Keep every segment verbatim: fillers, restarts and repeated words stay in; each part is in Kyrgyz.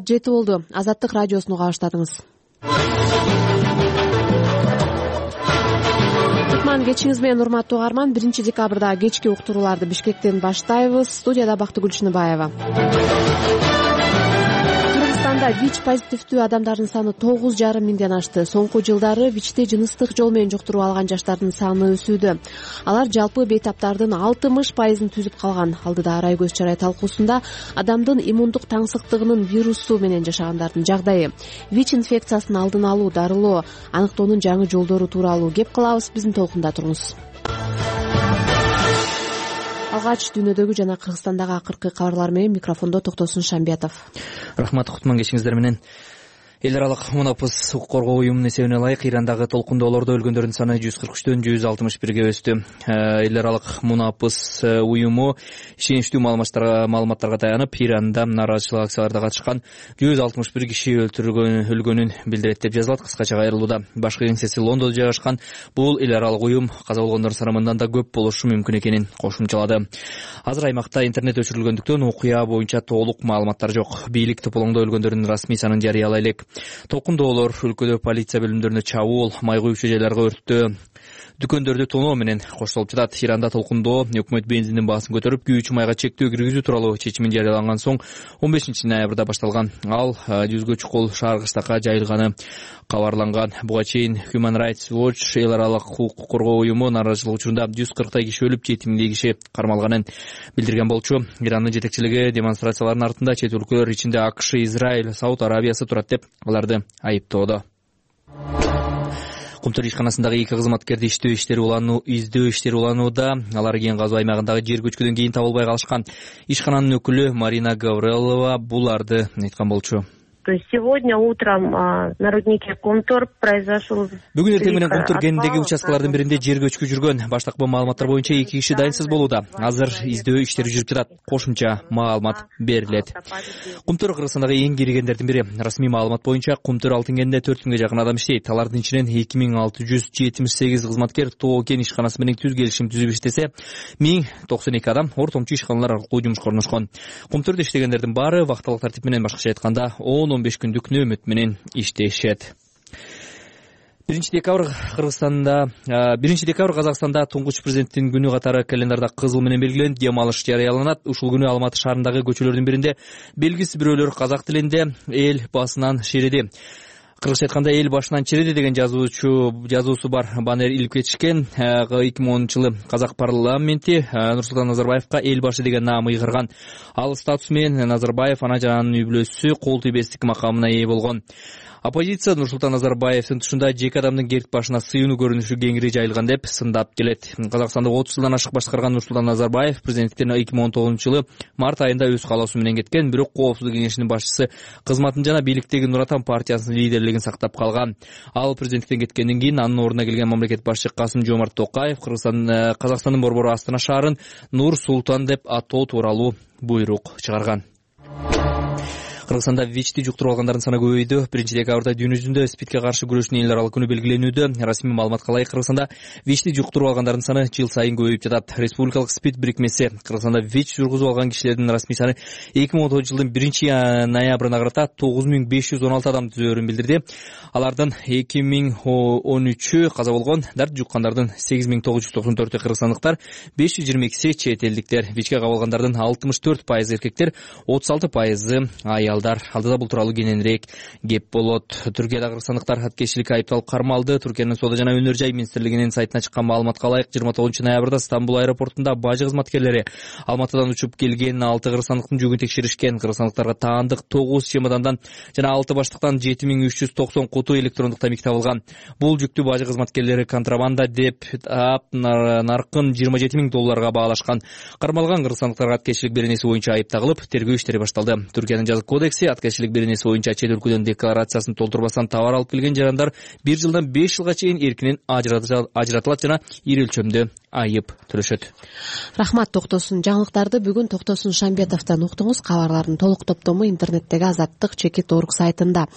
саат жети болду. Азаттык радиосуну кабаштадыңыз. Кутман кечиңиз менен урматтуу угарман. биринчи декабрда кечки уктурууларды Бишкектен баштайбыз. Студияда Бактыгүл Чыныбаева. Кыргызстанда ВИЧ позитивдүү адамдардын саны тогуз жарым миңден ашты. Соңку жылдары ВИЧти жыныстык жол менен жуктуруп алган жаштардын саны өсүүдө. Алар жалпы бейтаптардын алтымыш пайызын түзүп калган. Алдыда арай көз чарай талкуусунда адамдын иммундук таңсыктыгынын вирусу менен жашагандардын жагдайы, ВИЧ инфекциясын алдын алуу, дарылоо, аныктоонун жаңы жолдору тууралуу кеп кылабыз. Биздин толкунда туруңуз. Алгач дүйнөдөгү жана Кыргызстандагы акыркы кабарлар менен микрофондо Токтосун Шамбиятов. Рахмат, Кутман кечиңиздер менен. Эл аралык мунапыс укук коргоо уюмунун эсебине ылайык Ирандагы толкундоолордо өлгөндөрдүн саны жүз кырк үчтөн жүз алтымыш бирге өстү. Эл аралык мунапыс уюму ишеничтүү маалыматтарга маалыматтарга таянып, Иранда нааразычылык акцияларда катышкан жүз алтымыш бир киши өлтүрүлгөн өлгөнүн билдирет деп жазылат кыскача кайрылууда. Башкы кеңсеси Лондондо жайгашкан бул эл аралык уюм каза болгондордун саны мындан да көп болушу мүмкүн экенин кошумчалады. Азыр аймакта интернет өчүрүлгөндүктөн окуя боюнча толук маалыматтар жок. Бийлик тополоңдо өлгөндөрдүн расмий санын жарыялай элек. Толкундоолор өлкөдө полиция бөлүмдөрүнө чабуул, май куюучу жайларга өрттөө, дүкөндөрдү тоноо менен коштолуп жатат. Иранда толкундоо өкмөт бензиндин баасын көтөрүп, күйүүчү майга чектөө киргизүү тууралуу чечимин жарыяланган соң он бешинчи ноябрда башталган. Ал жүзгө чукул шаар кыштакка жайылганы кабарланган. Буга чейин Human Rights Watch эл аралык укук коргоо уюму нааразычылык учурунда жүз кырктай киши өлүп, жети миңдей киши кармалганын билдирген болчу. Ирандын жетекчилиги демонстрациялардын артында чет өлкөлөр ичинде АКШ, Израиль, Сауд Арабиясы турат деп аларды айыптоодо. Кумтөр ишканасындагы эки кызматкерди иштөө иштери улануу, издөө иштери уланууда. Алар кен казуу аймагындагы жер көчкүдөн кийин табылбай калышкан. Ишкананын өкүлү Марина Гаврилова буларды айткан болчу. То есть сегодня утром а, на руднике Кумтор произошел... Бүгүн эртең менен Кумтор кенинидеги участкалардын биринде жер көчкү жүргөн. Баштапкы маалыматтар боюнча эки киши дайынсыз болууда. Азыр издөө иштери жүрүп жатат. Кошумча маалымат берилет. Кумтор Кыргызстандагы эң киргендердин бири. Расмий маалымат боюнча Кумтор алтын кенинде төрт миңге жакын адам иштейт. Алардын ичинен эки миң алты жүз жетимиш сегиз кызматкер Тоо кен ишканасы менен түз келишим түзүп иштесе, миң токсон эки адам ортомчу ишканалар аркылуу жумушка орношкон. Кумтордо иштегендердин баары вактылык тартип менен, башкача айтканда, он он беш күндүк нөөмөт менен иштешет. биринчи декабрь Кыргызстанда, биринчи декабрь Казакстанда туңгуч президенттин күнү катары календарда кызыл менен белгиленип, дем алыш жарыяланат. Ушул күнү Алматы шаарындагы көчөлөрдүн биринде белгисиз бирөөлөр казак тилинде эл басынан шереди. Кыргызча айтканда эл башынан чиреди деген жазуучу жазуусу бар баннер илип кетишкен. эки миң онунчу жылы казак парламенти Нурсултан Назарбаевка эл башы деген наам ыйгырган. Ал статус менен Назарбаев ана жана анын үй бүлөсү кол тийбестик макамына ээ болгон. Оппозиция Нурсултан Назарбаевдин тушунда жеке адамдын керт башына сыйынуу көрүнүшү кеңири жайылган деп сындап келет. Казакстанда отуз жылдан ашык башкарган Нурсултан Назарбаев президенттиктен эки миң он тогузунчу жылы март айында өз каалоосу менен кеткен, бирок Коопсуздук кеңешинин башчысы кызматын жана бийликтеги Нур Отан партиясынын лидерлигин сактап калган. Ал президенттиктен кеткенден кийин анын ордуна келген мамлекет башчы Касым Жомарт Токаев Кыргызстан Казакстандын борбору Астана шаарын Нур Султан деп атоо тууралуу буйрук чыгарган. Кыргызстанда ВИЧти жуктуруп алгандардын саны көбөйдү. биринчи декабрда дүйнө жүзүндө СПИДке каршы күрөшүүнүн эл аралык күнү белгиленүүдө. Расмий маалыматка ылайык Кыргызстанда ВИЧти жуктуруп алгандардын саны жыл сайын көбөйүп жатат. Республикалык СПИД бирикмеси Кыргызстанда ВИЧ жургузуп алган кишилердин расмий саны эки миң он тогузунчу жылдын биринчи ноябрына карата тогуз миң беш жүз он алты адам түзөөрүн билдирди. Алардын эки миң он үчү каза болгон, дарт жуккандардын сегиз миң тогуз жүз токсон төртү кыргызстандыктар, беш жүз жыйырма экиси чет элдиктер. ВИЧке кабылгандардын алтымыш төрт пайызы эркектер, отуз алты пайызы аялдар. Алдыда бул тууралуу кененирээк кеп болот. Түркияда кыргызстандыктар аткечиликке айыпталып кармалды. Түркиянын соода жана өнөр жай министрлигинин сайтына чыккан маалыматка ылайык жыйырма тогузунчу ноябрда Стамбул аэропортунда бажы кызматкерлери Алматыдан учуп келген алты кыргызстандыктын жүгүн текшеришкен. Кыргызстандыктарга таандык тогуз чемодандан жана алты баштыктан жети миң үч жүз токсон куту электрондук тамик табылган. Бул жүктү бажы кызматкерлери контрабанда деп таап, наркын жыйырма жети миң долларга баалашкан. Кармалган кыргызстандыктарга аткечилик беренеси боюнча айып тагылып, тергөө иштери башталды. Түркиянын жазык кодекси аткечилик беренеси боюнча чет өлкөдөн декларациясын толтурбастан товар алып келген жарандар бир жылдан беш жылга чейин эркинен ажыратылат жана ири өлчөмдө айып төлөшөт. Рахмат Токтосун. Жаңылыктарды бүгүн Токтосун Шамбетовдон уктуңуз. Кабарлардын толук топтому интернеттеги Азаттык чекит орг сайтында.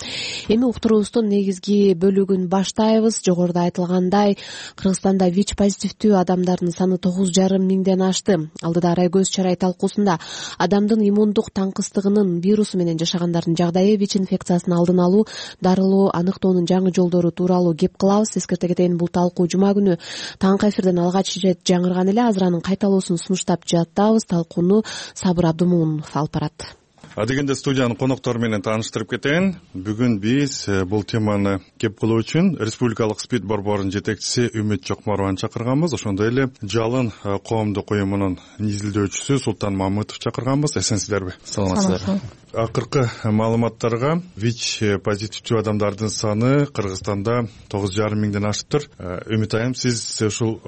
Эми уктуруубуздун негизги бөлүгүн баштайбыз. Жогоруда айтылгандай, Кыргызстанда ВИЧ позитивдүү адамдардын саны тогуз жарым миңден ашты. Алдыда Арай Көз чарай талкуусунда адамдын иммундук таңкыстыгынын вирусу менен жашагандардын жагдайы, ВИЧ инфекциясын алдын алуу, дарылоо, аныктоонун жаңы жолдору тууралуу кеп кылабыз. Эскерте кетейин, бул талкуу жума күнү таңкы эфирден алгач ирет жаңырган эле. Азыр анын кайталоосун сунуштап жатабыз. Талкууну Сабыр Абдымоунов алып барат. Адегенде студиянын коноктору менен тааныштырып кетейин. Бүгүн биз бул теманы кеп кылуу үчүн Республикалык СПИД борборунун жетекчиси Үмүт Чокморованы чакырганбыз. Ошондой эле Жалын коомдук уюмунун изилдөөчүсү Султан Мамытов чакырганбыз. Эсенсиздерби? Саламатсыздар. Акыркы маалыматтарга ВИЧ позитивдүү адамдардын саны Кыргызстанда тогуз жарым миңден ашыптыр. Үмүт айым, сиз ушул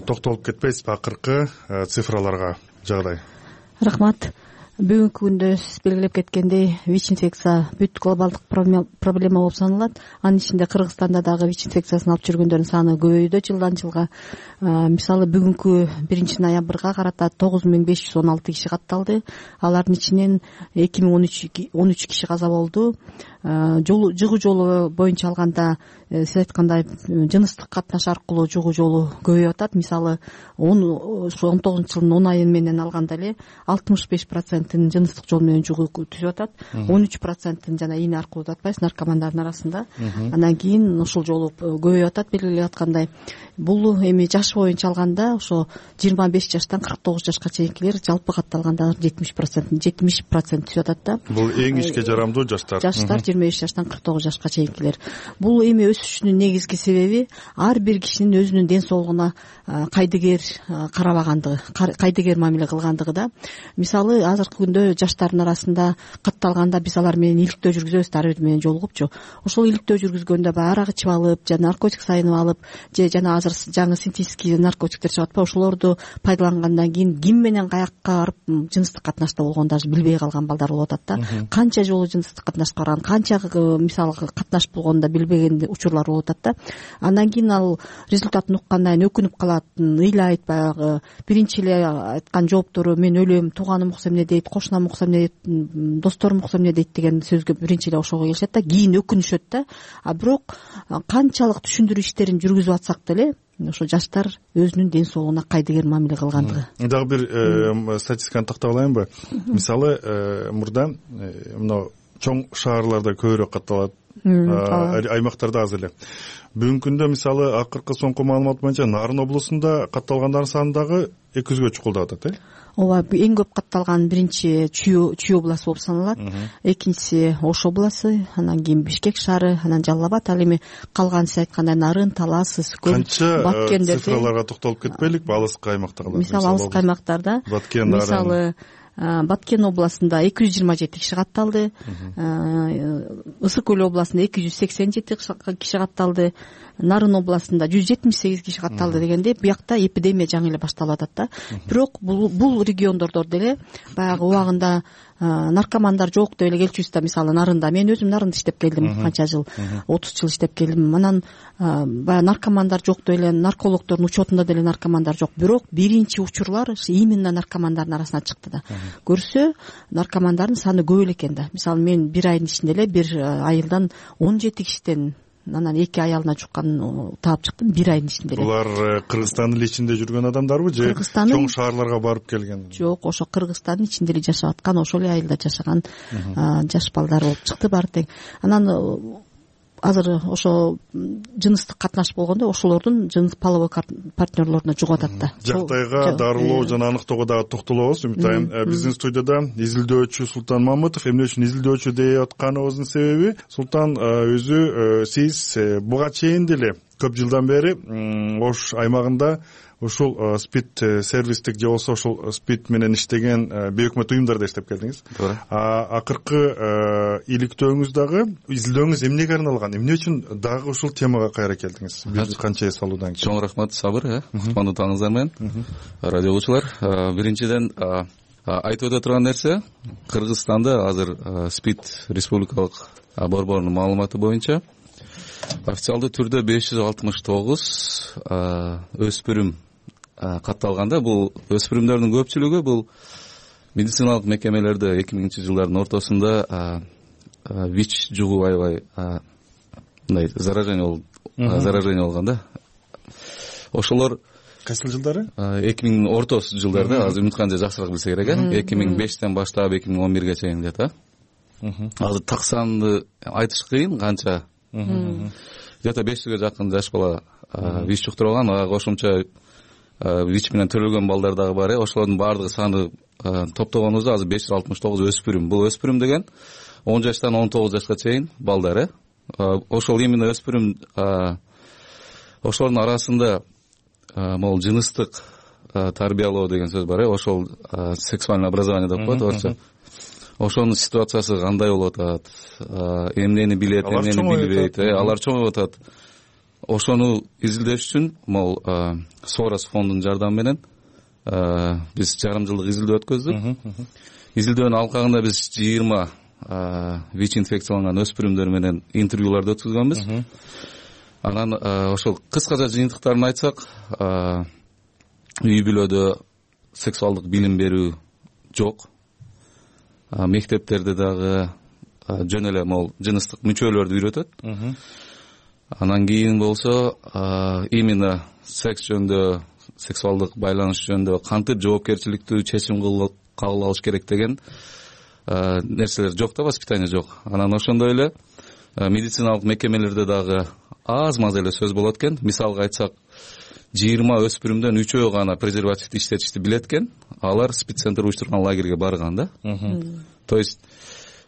токтолуп кетпейсизби акыркы цифраларга жагдай? Рахмат. Бүгүнкү күндө сиз белгилеп кеткендей, ВИЧ инфекция бүт глобалдык проблема болуп саналат. Анын ичинде Кыргызстанда дагы ВИЧ инфекциясын алып жүргөндөрдүн саны көбөйүүдө жылдан жылга. Мисалы бүгүнкү биринчи ноябрга карата тогуз миң беш жүз он алты киши катталды. Алардын ичинен эки миң он үч киши каза болду. Жолу жыгуу жолу боюнча алганда сиз айткандай жыныстык катнаш аркылуу жугуу жолу көбөйүп атат. Мисалы он тогузунчу жылдын он айы менен алганда эле алтымыш беш процентин жыныстык жол менен жугуу түзүп атат. он үч процентин жана ийне аркылуу деп атпайбыз, наркомандардын арасында. Андан кийин ушул жолу көбөйүп атат. Белгилеп аткандай, бул эми жаш боюнча алганда ошо жыйырма беш жаштан кырк тогуз жашка чейинкилер жалпы катталганда жетимиш процент жетимиш процент түзүп атат да. Бул эң ишке жарамдуу жаштар. Жаштар жыйырма беш жаштан кырк тогуз жашка чейинкилер. Бул эми өсүшүнүн негизги себеби ар бир кишинин өзүнүн ден соолугуна кайдыгер карабагандыгы, кайдыгер мамиле кылгандыгы да. Мисалы азыркы күндө жаштардын арасында катталганда биз алар менен иликтөө жүргүзөбүз, ар бири менен жолугупчу. Ошол иликтөө жүргүзгөндө баягы арак ичип алып, жана наркотик сайынып алып, же жана азыр жаңы синтетический наркотиктер чыгып атпайбы, ошолорду пайдалангандан кийин ким менен каякка барып жыныстык катнашта болгонун даже билбей калган балдар болуп атат да. Канча жолу жыныстык катнашка барган, канча мисалы катнаш болгонун да билбеген учурлар болуп атат да. Андан кийин ал результатын уккандан кийин өкүнүп калат, ыйлайт, баягы биринчи эле айткан жооптору мен өлөм, тууганым укса эмне дейт, кошунам укса эмне дейт, досторум укса эмне дейт деген сөзгө биринчи эле ошого келишет да, кийин өкүнүшөт да. А бирок канчалык түшүндүрүү иштерин жүргүзүп атсак деле ошо жаштар өзүнүн ден соолугуна кайдыгер мамиле кылгандыгы. Дагы бир статистиканы тактап алайынбы? Мисалы, мурда мына чоң шаарларда көбүрөөк катталат, аймактарда аз эле. Бүгүнкү күндө мисалы акыркы соңку маалымат боюнча Нарын облусунда катталгандардын саны дагы эки жүзгө чукулдап атат, э? Ооба, эң көп катталган биринчи Чүй областы болуп саналат, экинчиси Ош областы, анан кийин Бишкек шаары, анан Жалал Абад, ал эми калган сиз айткандай Нарын, Талас, Ысыкөл, Баткен цифраларга токтолуп кетпейликпи? Алыскы аймактагылар. Мисалы алыскы аймактарда, мисалы Баткен областында эки жүз жыйырма жети киши катталды, Ысык Көл областында эки жүз сексен жети киши катталды, Нарын областында жүз жетимиш сегиз киши катталды дегенде, буякта эпидемия жаңы эле башталып атат да. Бирок бул бул региондордо деле баягы убагында наркомандар жок деп эле келчүбүз да. Мисалы Нарында, мен өзүм Нарында иштеп келдим, канча жыл, отуз жыл иштеп келдим. Анан баягы наркомандар жок деп эле, наркологдордун учетунда деле наркомандар жок. Бирок биринчи учурлар именно наркомандардын арасына чыкты да. Көрсө, наркомандардын саны көп эле экен да. Мисалы мен бир айдын ичинде эле бир айылдан он жети кишиден анан эки аялына жуккан таап чыктым бир айдын ичинде эле. Булар Кыргызстандын ичинде жүргөн адамдарбы же чоң шаарларга барып келген? Жок, ошо Кыргызстандын ичинде эле жашап аткан, ошол эле айылда жашаган жаш балдар болуп чыкты баары тең. Анан азыр ошо жыныстык катнаш болгондо ошолордун жыныс половой партнерлоруна жугуп атат да. Жагдайга дарылоо жана аныктоого дагы токтолобуз. Үмүт айым, биздин студияда изилдөөчү Султан Мамытов. Эмне үчүн изилдөөчү деп атканыбыздын себеби, Султан өзү, сиз буга чейин деле көп жылдан бери Ош аймагында ушул СПИД сервистик же болбосо ушул СПИД менен иштеген бейөкмөт уюмдарда иштеп келдиңиз. Акыркы иликтөөңүз дагы, изилдөөңүз эмнеге арналган? Эмне үчүн дагы ушул темага кайра келдиңиз? Бир канча эс алуудан кийин. Чоң рахмат, Сабыр, кутмандуу таңыңыздар менен. Радиолучулар, биринчиден айтып өтө турган нерсе, Кыргызстанда азыр СПИД республикалык борборунун маалыматы боюнча официалдуу түрдө беш жүз алтымыш тогуз өспүрүм катталганда бул өспүрүмдөрдүн көпчүлүгү бул медициналык мекемелерде эки миңинчи жылдардын ортосунда вич жугуп аябай мындай заражение болуп заражение болгон да. Ошолор кайсыл жылдары? эки миң ортос жылдарда, азыр Үмүткан жакшыраак билсе керек э. эки миң бештен баштап эки миң он бирге чейин где-то. Азыр так санды айтыш кыйын канча. Где-то беш жүзгө жакын жаш бала вич жуктурган, ага кошумча вич менен төрөлгөн балдар дагы бар э. Ошолордун баардыгы саны топтогонубузда азыр беш жүз алтымыш тогуз өспүрүм. Бул өспүрүм деген он жаштан он тогуз жашка чейин балдар э. Ошол именно өспүрүм ошолордун арасында могул жыныстык тарбиялоо деген сөз бар э. Ошол сексуальное образование деп коет орусча. Ошонун ситуациясы кандай болуп атат, эмнени билет, эмнени билбейт, алар чоңоюп атат. Ошону изилдеш үчүн могул Сорос фондунун жардамы менен биз жарым жылдык изилдөө өткөздүк. Изилдөөнүн алкагында биз жыйырма вич инфекцияланган өспүрүмдөр менен интервьюларды өткүзгөнбүз. Анан ошол кыскача жыйынтыктарын айтсак, үй бүлөдө сексуалдык билим берүү жок. Мектептерде дагы жөн эле могул жыныстык мүчөлөрдү үйрөтөт. Анан кийин болсо именно секс жөнүндө, сексуалдык байланыш жөнүндө кантип жоопкерчиликтүү чечим кабыл алыш керек деген нерселер жок да, воспитание жок. Анан ошондой эле медициналык мекемелерде дагы аз маз эле сөз болот экен. Мисалга айтсак, жыйырма өспүрүмдөн үчөө гана презервативди иштетишти билет экен. Алар спид-центр уюштурган лагерге барган да. То есть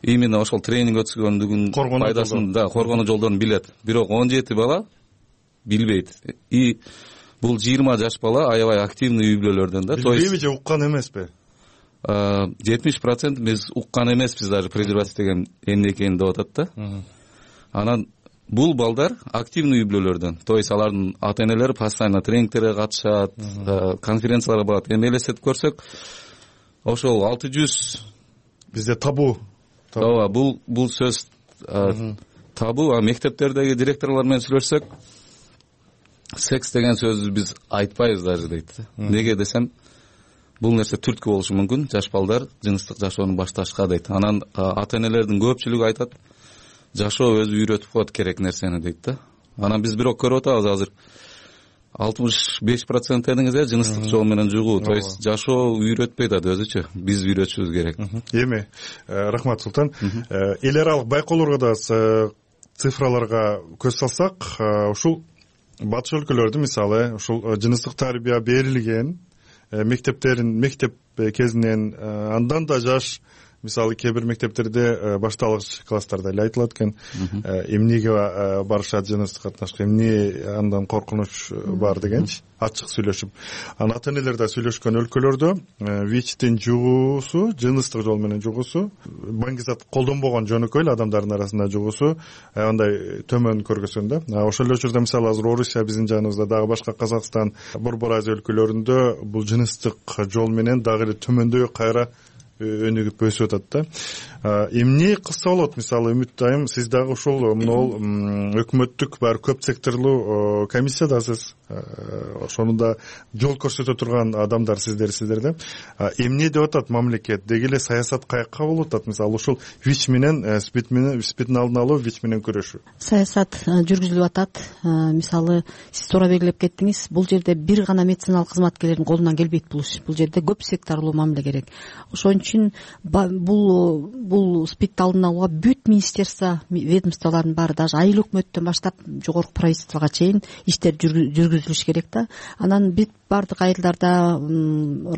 именно ошол тренинг өткізгөндүгүн пайдасын да, коргонуу жолдорун билет. Бирок он жети бала билбейт. И бул жыйырма жаш бала аябай активный үй бүлөлөрдөн да. То есть билбейби же уккан эмеспи? жетимиш процент биз уккан эмеспиз даже презерватив деген эмне экенин деп атат да. Анан бул балдар активный үй бүлөлөрдөн. То есть алардын ата энелери постоянно тренингтерге катышат, конференцияларга барат. Эми элестетип көрсөк, ошол алты жүз бизде табу. Ооба, бул бул сөз табу. А мектептердеги директорлор менен сүйлөшсөк, секс деген сөздү биз айтпайбыз даже дейт. Неге десем, бул нерсе түрткү болушу мүмкүн. Жаш балдар жыныстык жашоону башташка дейт. Анан ата энелердин көпчүлүгү айтат, жашоо өзү үйрөтүп коет керек нерсени дейт да. Анан биз бирок көрүп атабыз азыр алтымыш беш процент дедиңиз э, жыныстык жол менен жугуу. То есть жашоо үйрөтпөйт ат өзүчө. Биз үйрөтүшүбүз керек. Эми рахмат Султан. Эл аралык байкоолорго да цифраларга көз салсак, ушул батыш өлкөлөрдө мисалы ушул жыныстык тарбия берилген мектептерин мектеп кезинен андан да жаш, мисалы кээ бир мектептерде башталгыч класстарда эле айтылат экен, эмнеге барышат жыныстык катнашка, эмне андан коркунуч бар дегенчи, ачык сүйлөшүп. Анан ата энелер да сүйлөшкөн өлкөлөрдө вичтин жугуусу, жыныстык жол менен жугуусу, баңгизат колдонбогон жөнөкөй эле адамдардын арасында жугуусу андай төмөн көргөзгөн да. Ошол эле учурда мисалы азыр Орусия биздин жаныбызда, дагы башка Казакстан, Борбор Азия өлкөлөрүндө бул жыныстык жол менен дагы эле төмөндөй кайра өнүгүп өсүп атат да. Эмне кылса болот? Мисалы Үмүт айым, сиз дагы ушул могул өкмөттүк бар көп секторлуу комиссиядасыз. Ошону да жол көрсөтө турган адамдар сиздер сиздер да. Эмне деп атат мамлекет? Деги эле саясат каякка болуп атат? Мисалы ушул ВИЧ менен спид менен спидин алдын алуу, ВИЧ менен күрөшүү. Саясат жүргүзүлүп атат. Мисалы сиз туура белгилеп кеттиңиз. Бул жерде бир гана медициналык кызматкерлердин колунан келбейт бул иш. Бул жерде көп секторлуу мамиле керек. Ошон үчүн бул бул спидти алдын алууга бүт министерство, ведомстволордун баары, даже айыл өкмөттөн баштап жогорку правительствого чейин иштер жүргүзүлүш керек да. Анан бүт бардык айылдарда,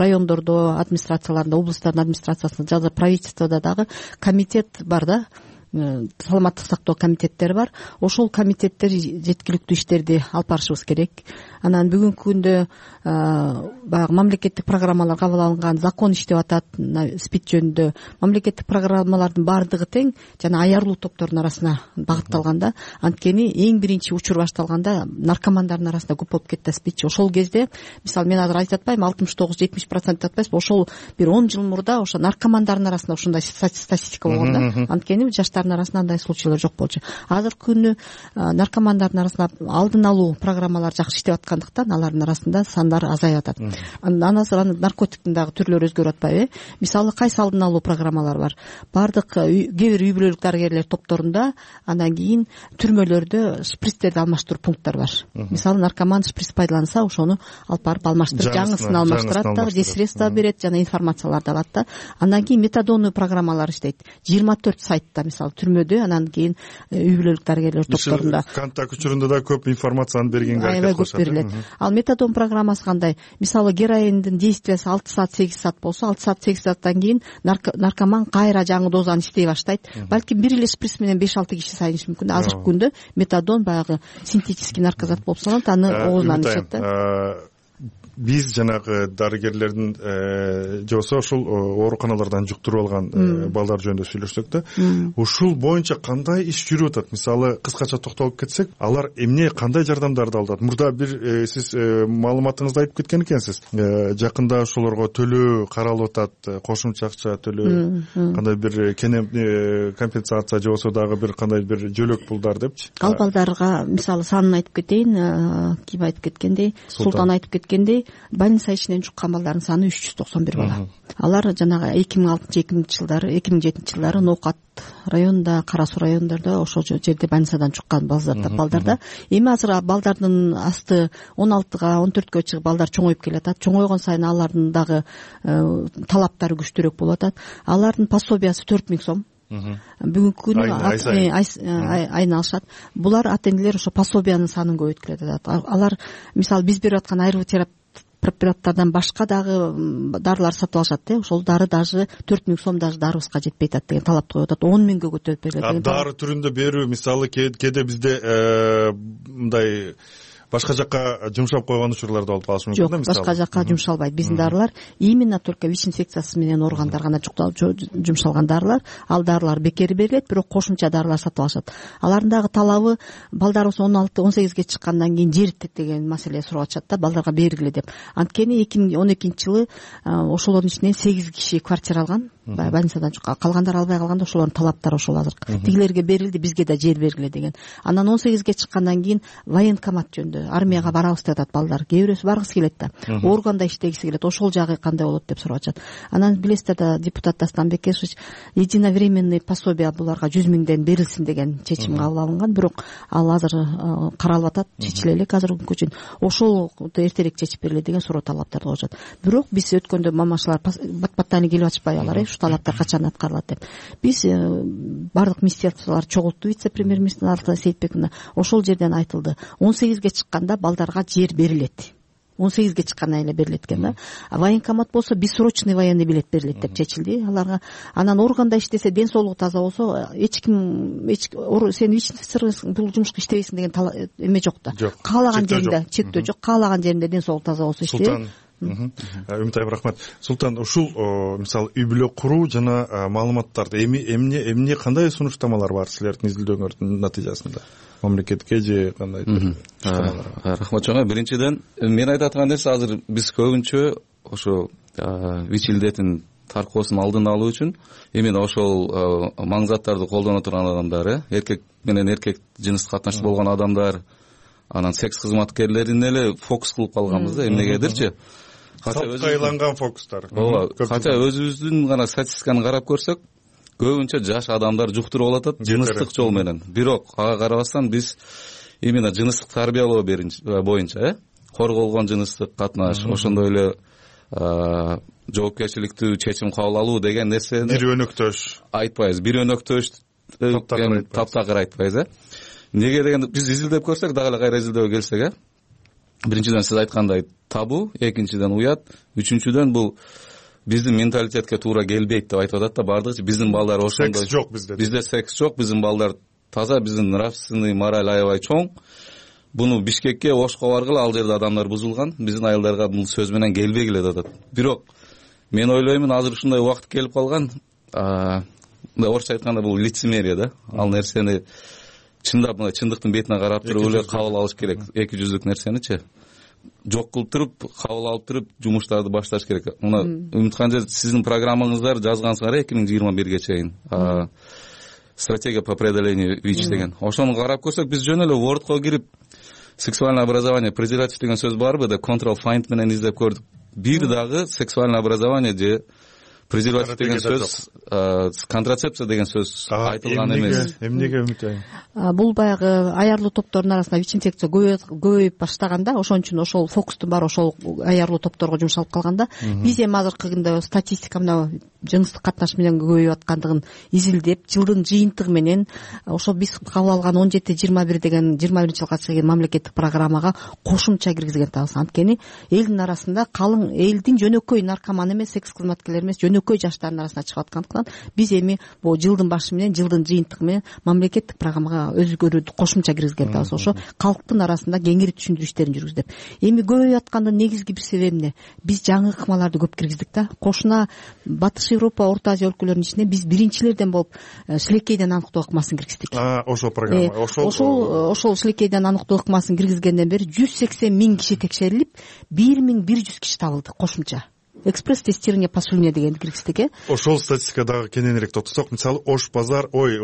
райондордо, администрацияларында, областтардын администрациясында, жада правительстводо дагы комитет бар да. Саламаттык сактоо комитеттери бар. Ошол комитеттер жеткиликтүү иштерди алып барышыбыз керек. Анан бүгүнкү күндө баягы мамлекеттик программалар кабыл алынган, закон иштеп атат спид жөнүндө. Мамлекеттик программалардын баардыгы тең жана аярлуу топтордун арасына багытталган да. Анткени эң биринчи учур башталганда наркомандардын арасында көп болуп кетти спид. Ошол кезде, мисалы мен азыр айтып атпайм, алтымыш тогуз жетимиш процент деп атпайбызбы, ошол бир он жыл мурда ошо наркомандардын арасында ушундай статистика болгон да. Анткени жаштар арасында андай случайлар жок болчу. Азыркы күнү наркомандардын арасында алдын алуу программалары жакшы иштеп жаткандыктан алардын арасында сандары азайып атат. Анан наркотиктин дагы түрлөрү өзгөрүп атпайбы? Мисалы кайсы алдын алуу программалары бар. Бардык кээ бир үй бүлөлүк дарыгерлер топторунда, андан кийин түрмөлөрдө шприцтерди алмаштыруу пункттары бар. Мисалы наркоман шприц пайдаланса, ошону алып барып алмаштырып, жаңысын алмаштырат да, же средства берет, жана информацияларды алат да. Андан кийин метадондуу программалар иштейт. жыйырма төрт сайтта, мисалы түрмөдө, анан кийин үй бүлөлүк дарыгерлер топторунда. Контакт учурунда да көп информацияны бергенге аракет кылышат. Аябай көп берилет. Ал метадон программасы кандай? Мисалы героиндин действиясы алты саат сегиз саат болсо, алты саат сегиз сааттан кийин наркоман кайра жаңы дозаны иштей баштайт. Балким бир эле шприц менен беш алты киши сайынышы мүмкүн. Азыркы күндө метадон баягы синтетический наркозат болуп саналат, аны оозунан ичет да. Биз жанагы дарыгерлердин же болбосо ушул ооруканалардан жуктуруп алган балдар жөнүндө сүйлөшсөк да, ушул боюнча кандай иш жүрүп атат? Мисалы кыскача токтолуп кетсек, алар эмне, кандай жардамдарды алып атат? Мурда бир сиз маалыматыңызда айтып кеткен экенсиз. Жакында ошолорго төлөө каралып атат, кошумча акча төлөө, кандай бир кенем компенсация же болбосо дагы бир кандай бир жөлөк пулдар депчи. Ал балдарга мисалы санын айтып кетейин. Ким айтып кеткендей, Султан айтып кеткендей, больница ичинен жуккан балдардын саны үч жүз токсон бир бала. Алар жанагы эки миң алтынчы эки миңинчи жылдары, эки миң жетинчи жылдары Ноокат районунда, Кара Суу районунда ошол жерде больницадан жуккан балдарда. Эми азыр балдардын асты он алтыга, он төрткө чыгып балдар чоңоюп келатат. Чоңойгон сайын алардын дагы талаптары күчтүүрөөк болуп атат. Алардын пособиясы төрт миң сом. Бүгүнкү күнү айына алышат. Булар ата энелер ошо пособиянын санын көбөйткүлөт атат. Алар мисалы биз берип аткан айрылуу терапия препараттардан башка дагы дарылар сатып алышат да. Ошол дары даже төрт миң сом даже дарыбызга жетпей атат деген талапты коюп атат. он миңге көтөрүп берилет. Дары түрүндө берүү мисалы кээде бизде мындай башка жакка жумшап койгон учурлар да болуп калышы мүмкүн да, мисалы. Жок, башка жакка жумшалбайт. Биздин дарылар именно только ВИЧ инфекциясы менен ооругандар гана жумшалган дарылар. Ал дарылар бекер берилет, бирок кошумча дарылар сатып алышат. Алардын дагы талабы балдарыбыз он алты он сегизге чыккандан кийин жер деген маселе сурап атышат да, балдарга бергиле деп. Анткени эки миң он экинчи жылы ошолордун ичинен сегиз киши квартира алган. Больницадан чыккан. Калгандар албай калганда ошолордун талаптары ошол азыр. Тигилерге берилди, бизге да жер бергиле деген. Анан он сегизге чыккандан кийин военкомат жөнүндө армияга барабыз деп атат балдар. Кээ бирөөсү баргысы келет да. Органда иштегиси келет. Ошол жагы кандай болот деп сурап атышат. Анан билесиздер да, депутат Дастан Бекешевич единовременный пособие буларга жүз миңден берилсин деген чечим кабыл алынган. Бирок ал азыр каралып атат, чечиле элек азыркы күнгө чейин. Ошол эртерээк чечип бериле деген суроо талаптарды коюшат. Бирок биз өткөндө мамашалар бат-баттан келип атышпай алар, ушу талаптар качан аткарылат деп. Биз бардык министрликтер чогултту, вице-премьер-министр Алтынай Сейитбековна. Ошол жерден айтылды. он сегизге чыкканда балдарга жер берилет. он сегизге чыккандан эле берилет экен да. Военкомат болсо бессрочный военный билет берилет деп чечилди аларга. Анан органда иштесе, ден соолугу таза болсо, эч ким сен ВИЧ-сың, бул жумушка иштебейсиң деген эме жок да. Каалаган жеринде чектөө жок, каалаган жеринде ден соолугу таза болсо иштейт. Үмүтайым, рахмат. Султан, ушул мисалы үй бүлө куруу жана маалыматтарды эми эмне эмне кандай сунуштамалар бар силердин изилдөөңөрдүн натыйжасында? Мамлекетке же кандай? Рахмат чоң. Биринчиден, мен айтып аткан нерсе, азыр биз көбүнчө ошо ВИЧ илдетин таркоосун алдын алуу үчүн именно ошол маңзаттарды колдоно турган адамдар, эркек менен эркек жыныстык катнашта болгон адамдар, анан секс кызматкерлерин эле фокус кылып калганбыз да, эмнегедирчи. Сапка айланган фокустар. Ооба, кача өзүбүздүн гана статистиканы карап көрсөк, көбүнчө жаш адамдар жуктуруп алат жыныстык жол менен. Бирок ага карабастан биз именно жыныстык тарбиялоо боюнча, э, корголгон жыныстык катнаш, ошондой эле жоопкерчиликтүү чечим кабыл алуу деген нерсени бир өнөктөш айтпайбыз. Бир өнөктөш таптакыр айтпайбыз, э. Неге дегенде биз изилдеп көрсөк, дагы эле кайра изилдөөгө келсек, э. Биринчиден сиз айткандай табу, экинчиден уят, үчүнчүдөн бул биздин менталитетке туура келбейт деп айтып атат да бардыгы. Биздин балдар ошондой. Секс жок бизде. Бизде секс жок, биздин балдар таза, биздин нравственный мораль аябай чоң. Буну Бишкекке, Ошко баргыла, ал жерде адамдар бузулган. Биздин айылдарга бул сөз менен келбегиле деп атат. Бирок мен ойлоймун, азыр ушундай убакыт келип калган, мындай орусча айтканда бул лицемерие да. Ал нерсени чындап мына чындыктын бетине карап туруп эле кабыл алыш керек. Эки жүздүк нерсеничи жок кылып туруп, кабыл алып туруп жумуштарды башташ керек. Мына Үмүткан, сиздин программаңыздар жазгансыңар эки миң жыйырма бирге чейин. Стратегия по преодолению ВИЧ деген. Ошону карап көрсөк, биз жөн эле Word'ко кирип сексуальный образование презерватив деген сөз барбы деп control find менен издеп көрдүк. Бир дагы сексуальный образование же презерватив деген сөз, контрацепция деген сөз айтылган эмес. Эмнеге Үмүт айым? Бул баягы аярлуу топтордун арасында ВИЧ инфекция көбөйүп баштаганда, ошон үчүн ошол фокустун баары ошол аярлуу топторго жумшалып калганда, биз эми азыркы күндө статистика мына жыныстык катнаш менен көбөйүп аткандыгын изилдеп, жылдын жыйынтыгы менен ошол биз кабыл алган он жети жыйырма бир деген жыйырма биринчи жылга чейин мамлекеттик программага кошумча киргизген атабыз. Анткени элдин арасында калың элдин жөнөкөй наркоман эмес, секс кызматкерлер эмес, жөнөкөй жаштардын арасына чыгып аткандыктан биз эми бул жылдын башы менен, жылдын жыйынтыгы менен мамлекеттик программага өзгөрүүдү кошумча киргизген атабыз. Ошо калктын арасында кеңири түшүндүрүү иштерин жүргүздүп. Эми көбөйүп аткандын негизги бир себеби эмне? Биз жаңы ыкмаларды көп киргиздик да. Кошуна Батыш Европа, Орто Азия өлкөлөрүнүн ичинен биз биринчилерден болуп шилекейден анықтоо ыкмасын киргиздик. Ошол программа, ошол ошол ошол шилекейден анықтоо ыкмасын киргизгенден бери жүз сексен миң киши текшерилип, бир миң бир жүз киши табылды кошумча. Экспресс тестирование по слюне дегенди киргиздик э. Ошол статистикадагы кененирээк токтосок, мисалы Ош базар, ой,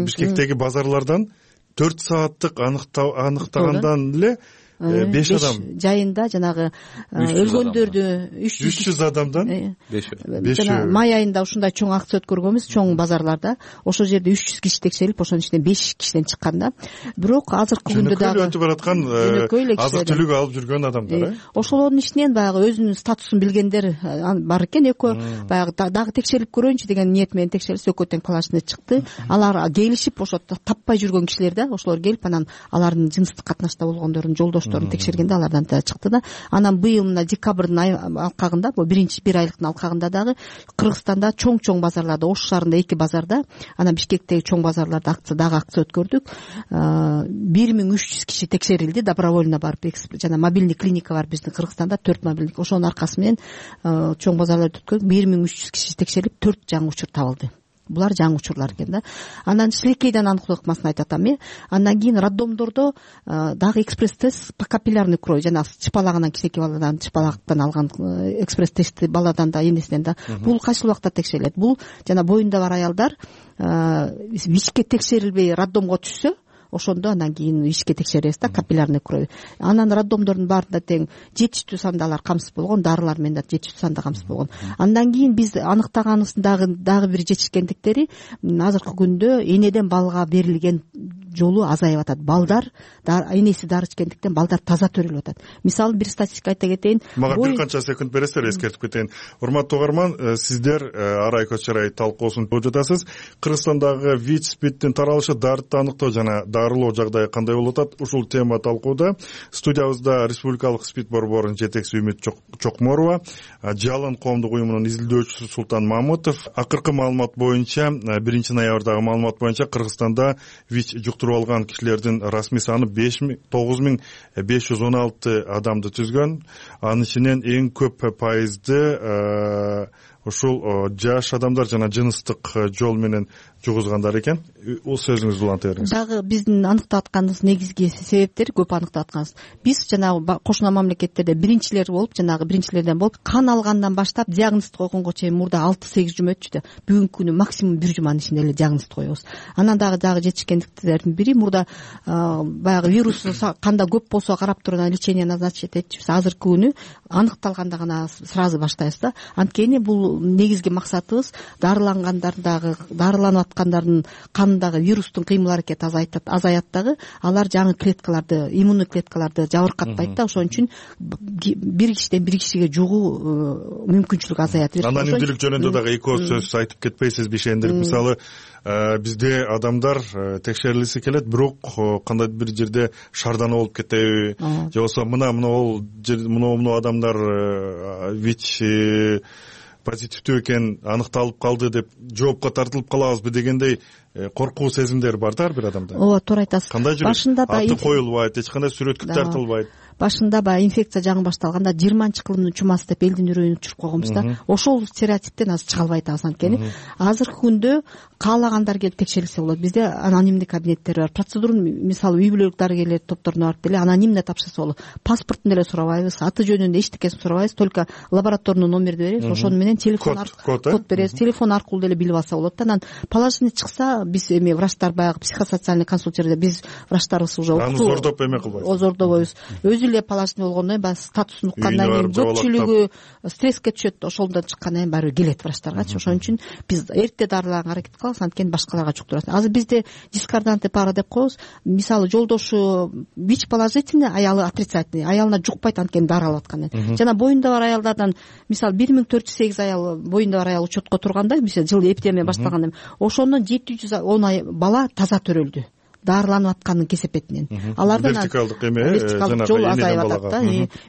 Бишкектеги базарлардан төрт сааттык аныктагандан эле беш адам жайында жанагы өлгөндөрдү үч жүз адамдан беш жана май айында ушундай чоң акция өткөргөнбүз, чоң базарларда. Ошол жерде үч жүз киши текшерилип, ошонун ичинен беш кишиден чыккан да. Бирок азыркы күндө дагы өтүп бараткан азык түлүк алып жүргөн адамдар э. Ошолордун ичинен баягы өзүнүн статусун билгендер бар экен. Экөө баягы дагы текшерип көрөйүнчү деген ниет менен текшерилсе, экөө тең плашный чыкты. Алар келишип, ошо таппай жүргөн кишилер да, ошолор келип анан алардын жыныстык катнашта болгондорун, жолдош текшергенде алардан да чыкты да. Анан быйыл мына декабрдын алкагында, бул биринчи бир айлыктын алкагында дагы Кыргызстанда чоң-чоң базарларда, Ош шаарында эки базарда, анан Бишкектеги чоң базарларда акция дагы акция өткөрдүк. бир миң үч жүз киши текшерилди, добровольно барып, жана мобильный клиника бар биздин Кыргызстанда, төрт мобильный. Ошонун аркасы менен чоң базарларды өткөрдүк, бир миң үч жүз киши текшерилип, төрт жаңы учур табылды. Булар жаңы учурлар экен да. Анан шилекейден анықтоо ыкмасын айтып атам э. Андан кийин роддомдордо дагы экспресс тест по капиллярный кровь, жана чыпалаганан кичинекей баладан чыпалактан алган экспресс тести баладан да, энесинен да. Бул кайсыл убакта текшерилет? Бул жана боюнда бар аялдар ВИЧке текшерилбей роддомго түшсө, ошондо андан кийин ВИЧке текшеребиз да, капиллярный кровь. Анан роддомдордун баарында тең жетиштүү санда алар камсыз болгон, дарылар менен да жетиштүү санда камсыз болгон. Андан кийин биз аныктаганыбыздын дагы дагы бир жетишкендиктери, азыркы күндө энеден балга берилген жолу азайып атат. Балдар энеси дары ичкендиктен балдар таза төрөлүп атат. Мисалы бир статистика айта кетейин. Мага бир канча секунд бересиздер, эскертип кетейин. Урматтуу угарман, сиздер Арай Көчөрай талкуусун көрүп жатасыз. Кыргызстандагы ВИЧ спидтин таралышы, дарытты аныктоо жана дарылоо жагдайы кандай болуп атат? Ушул тема талкууда. Студиябызда Республикалык спид борборунун жетекчиси Үмүт Чокморова, Жалын коомдук уюмунун изилдөөчүсү Султан Мамытов. Акыркы маалымат боюнча, биринчи ноябрдагы маалымат боюнча Кыргызстанда ВИЧ жуктуруп алган кишилердин расмий саны тогуз миң беш жүз он алты адамды түзгөн. Анын ичинен эң көп пайызды ушул жаш адамдар жана жыныстык жол менен жугузгандар экен. Бул сөзүңүздү уланта бериңиз. Дагы биздин аныктап атканыбыз негизги себептер, көп аныктап атканыбыз. Биз жанагы кошуна мамлекеттерде биринчилер болуп, жанагы биринчилерден болуп, кан алгандан баштап диагноз койгонго чейин мурда алты сегиз жума өтчү да. Бүгүнкү күнү максимум бир жуманын ичинде эле диагноз коебуз. Анан дагы дагы жетишкендиктердин бири, мурда баягы вирус канда көп болсо карап туруп анан лечение назначить этчүбүз. Азыркы күнү аныкталганда гана сразу баштайбыз да. Анткени бул негизги максатыбыз дарылангандардагы, дарыланып аткандардын канындагы вирустун кыймыл аракети азаят дагы, алар жаңы клеткаларды, иммундуу клеткаларды жабыркатпайт да. Ошон үчүн бир кишиден бир кишиге жугуу мүмкүнчүлүгү азаят. Анан имдүүлүк жөнүндө дагы эки сөз айтып кетпейсизби ишендирип? Мисалы, бизде адамдар текшерилгиси келет, бирок кандайдыр бир жерде шардана болуп кетеби, же болбосо мына мына ол мына адамдар ВИЧ позитивдүү экен, аныкталып калды деп жоопко тартылып калабызбы дегендей коркуу сезимдер бар да ар бир адамда. Ооба, туура айтасыз. Кандай жүрөт? Аты коюлбайт, эч кандай сүрөткө тартылбайт. башында баягы инфекция жаңы башталганда жыйырманчы кылымдын чумасы деп элдин үрөйүн учуруп койгонбуз да. Ошол стереотиптен азыр чыга албай атабыз. Анткени азыркы күндө каалагандар келип текшерилсе болот. Бизде анонимдий кабинеттер бар. Процедураны мисалы үй бүлөлүк дарыгерлер топторуна барып деле анонимдүү тапшырса болот. Паспортун деле сурабайбыз, аты жөнүн эчтекесин сурабайбыз, только лабораторный номерди беребиз. Ошону менен телефон аркылуу код беребиз. Телефон аркылуу деле билип алса болот да. Анан положительный чыкса, биз эми врачтар баягы психосоциальный консультирование, биз врачтарыбыз уже аны зордоп эме кылбайбыз. Озордобойбуз. Өзү эле положительный болгондон кийин баягы статусун уккандан кийин көпчүлүгү стресске түшөт. Ошондон чыккандан кийин баары келет врачтаргачы. Ошон үчүн биз эрте дарылаганга аракет кылабыз, анткени башкаларга жуктурат. Азыр бизде дискордантный пара деп коебуз. Мисалы жолдошу ВИЧ положительный, аялы отрицательный, аялына жукпайт, анткени дары алып аткан. Жана боюнда бар аялдардан мисалы бир миң төрт жүз сегиз аял боюнда бар аял учетко турганда, мисалы жыл эпидемия башталганда ошондон жети жүз он бала таза төрөлдү, дарыланып атканын кесепетинен. Алардан вертикалдык эме вертикалдык жол азайып атат да.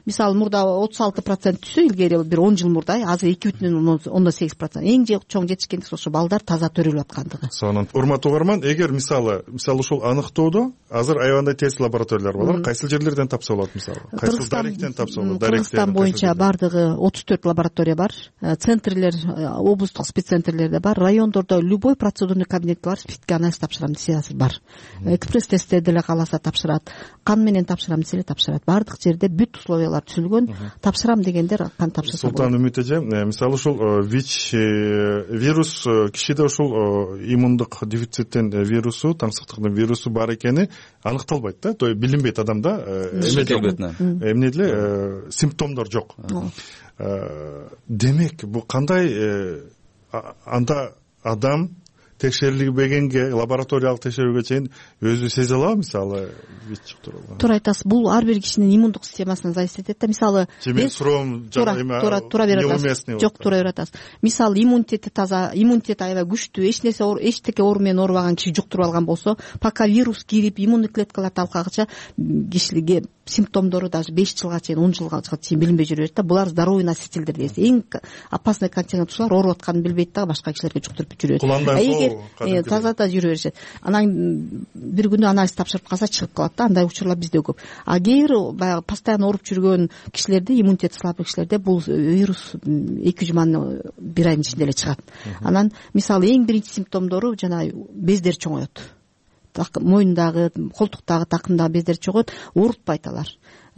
Мисалы мурда отуз алты процент түшсө, илгери бир он жыл мурда, азыр эки бүтүн ондон сегиз процент. Эң чоң жетишкендик ошо балдар таза төрөлүп аткандыгы. Сонун. Урматтуу угарман, эгер мисалы, мисалы ушул аныктоодо азыр аябандай тест лабораториялар бар. Кайсыл жерлерден тапса болот мисалы? Кайсыл даректен тапса болот? Кыргызстан боюнча бардыгы отуз төрт лаборатория бар. Центрлер, облустук спеццентрлерде бар. Райондордо любой процедурный кабинет бар, спидке анализ тапшырам десе азыр бар. Экспресс тестте деле кааласа тапшырат, кан менен тапшырам десе тапшырат. Бардык жерде бүт условиялар түзүлгөн. Тапшырам дегендер кан тапшырса болот. Султан Үмүт эже, мисалы ушул ВИЧ вирус кишиде ушул иммундук дефициттин вирусу, таңсыктыктын вирусу бар экени аныкталбайт да, то есть билинбейт адамда, эмне деле симптомдор жок. Демек, бул кандай анда адам текшерилбегенге, лабораториялык текшерүүгө чейин өзү сезе алабы, мисалы ВИЧ жуктурган? Туура айтасыз. Бул ар бир кишинин иммундук системасынан зависит этет да. Мисалы мен суроом туура туура берет. Жок, туура берет. Мисалы иммунитети таза, иммунитет аябай күчтүү, эч нерсе эчтеке оору менен оорубаган киши жуктуруп алган болсо, пока вирус кирип иммундук клеткалар талкагыча кишилерге симптомдору даже беш жылга чейин, он жылга чейин билинбей жүрө берет да. Булар здоровый носительдер дейбиз. Эң опасный континент ушулар, ооруп атканын билбейт да, башка кишилерге жуктуруп жүрөт. Эгер таза да жүрө беришет, анан бир күнү анализ тапшырып калса чыгып калат да. Андай учурлар бизде көп. А кээ бир баягы постоянно ооруп жүргөн кишилерде, иммунитети слабый кишилерде бул вирус эки жуманын бир айдын ичинде эле чыгат. Анан мисалы эң биринчи симптомдору жана бездер чоңоет. Мойундагы, колтуктагы, такымдагы бездер чоңоет, оорутпайт алар.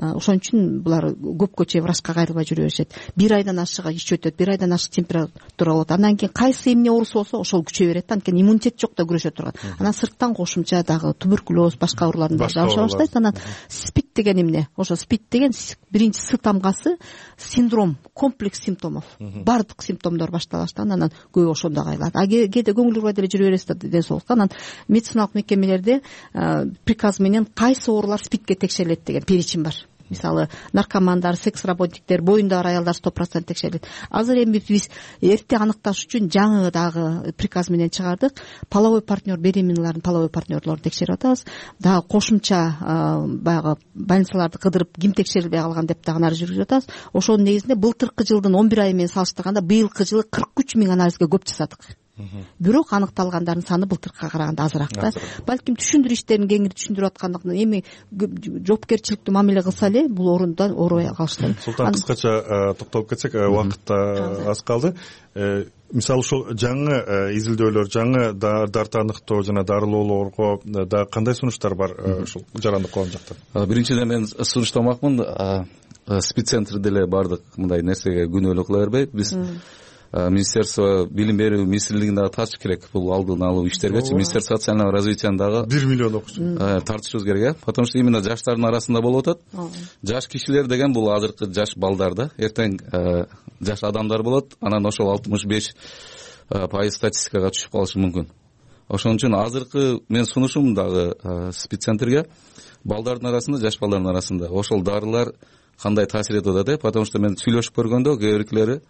Ошон үчүн булар көпкө чейин врачка кайрылбай жүрө беришет. Бир айдан ашыгы ич өтөт, бир айдан ашык температура болот. Андан кийин кайсы эмне оорусу болсо ошол күчөй берет да. Анткени иммунитет жок да күрөшө турган. Анан сырттан кошумча дагы туберкулез, башка оорулардын жабыша баштайт. Анан спид деген эмне? Ошо спид деген биринчи С тамгасы синдром, комплекс симптомов. Бардык симптомдор баштала баштаган, анан көбү ошондо кайрылат. А кээде көңүл бурбай деле жүрө бересиз да ден соолукка. Анан медициналык мекемелерде приказ менен кайсы оорулар спидке текшерилет деген перечень бар. Мисалы наркомандар, секс работниктер, боюнда бар аялдар сто процент текшерилет. Азыр эми биз эрте аныкташ үчүн жаңы дагы приказ менен чыгардык. Половой партнер, беременналардын половой партнерлорун текшерип атабыз. Дагы кошумча баягы больницаларды кыдырып ким текшерилбей калган деп дагы анализ жүргүзүп атабыз. Ошонун негизинде былтыркы жылдын он бир айы менен салыштырганда быйылкы жылы кырк үч миң анализге көп жасадык. Бирок аныкталгандардын саны былтыркыга караганда азыраак да. Балким түшүндүрүү иштерин кеңири түшүндүрүп аткандыктан эми жоопкерчиликтүү мамиле кылса эле бул орундан оорубай калыштыр. Султан, кыскача токтолуп кетсек, убакыт аз калды. Мисалы ушул жаңы изилдөөлөр, жаңы дарты аныктоо жана дарылоолорго да кандай сунуштар бар ушул жарандык коом жактан? Биринчиден мен сунуштамакмын, спеццентр деле бардык мындай нерсеге күнөөлүү кыла бербейт. Биз Министерство билим берүү министрлигине дагы тартыш керек бул алдын алуу иштергечи. Министерство социального развития дагы бир миллион окуучу тартышыбыз керек, потому что именно жаштардын арасында болуп атат. Жаш кишилер деген бул азыркы жаш балдар да, эртең жаш адамдар болот, анан ошол алтымыш беш пайыз статистикага түшүп калышы мүмкүн. Ошон үчүн азыркы мен сунушум дагы спеццентрге балдардын арасында, жаш балдардын арасында ошол дарылар кандай таасир этип атат, потому что мен сүйлөшүп көргөндө кээ биркилери,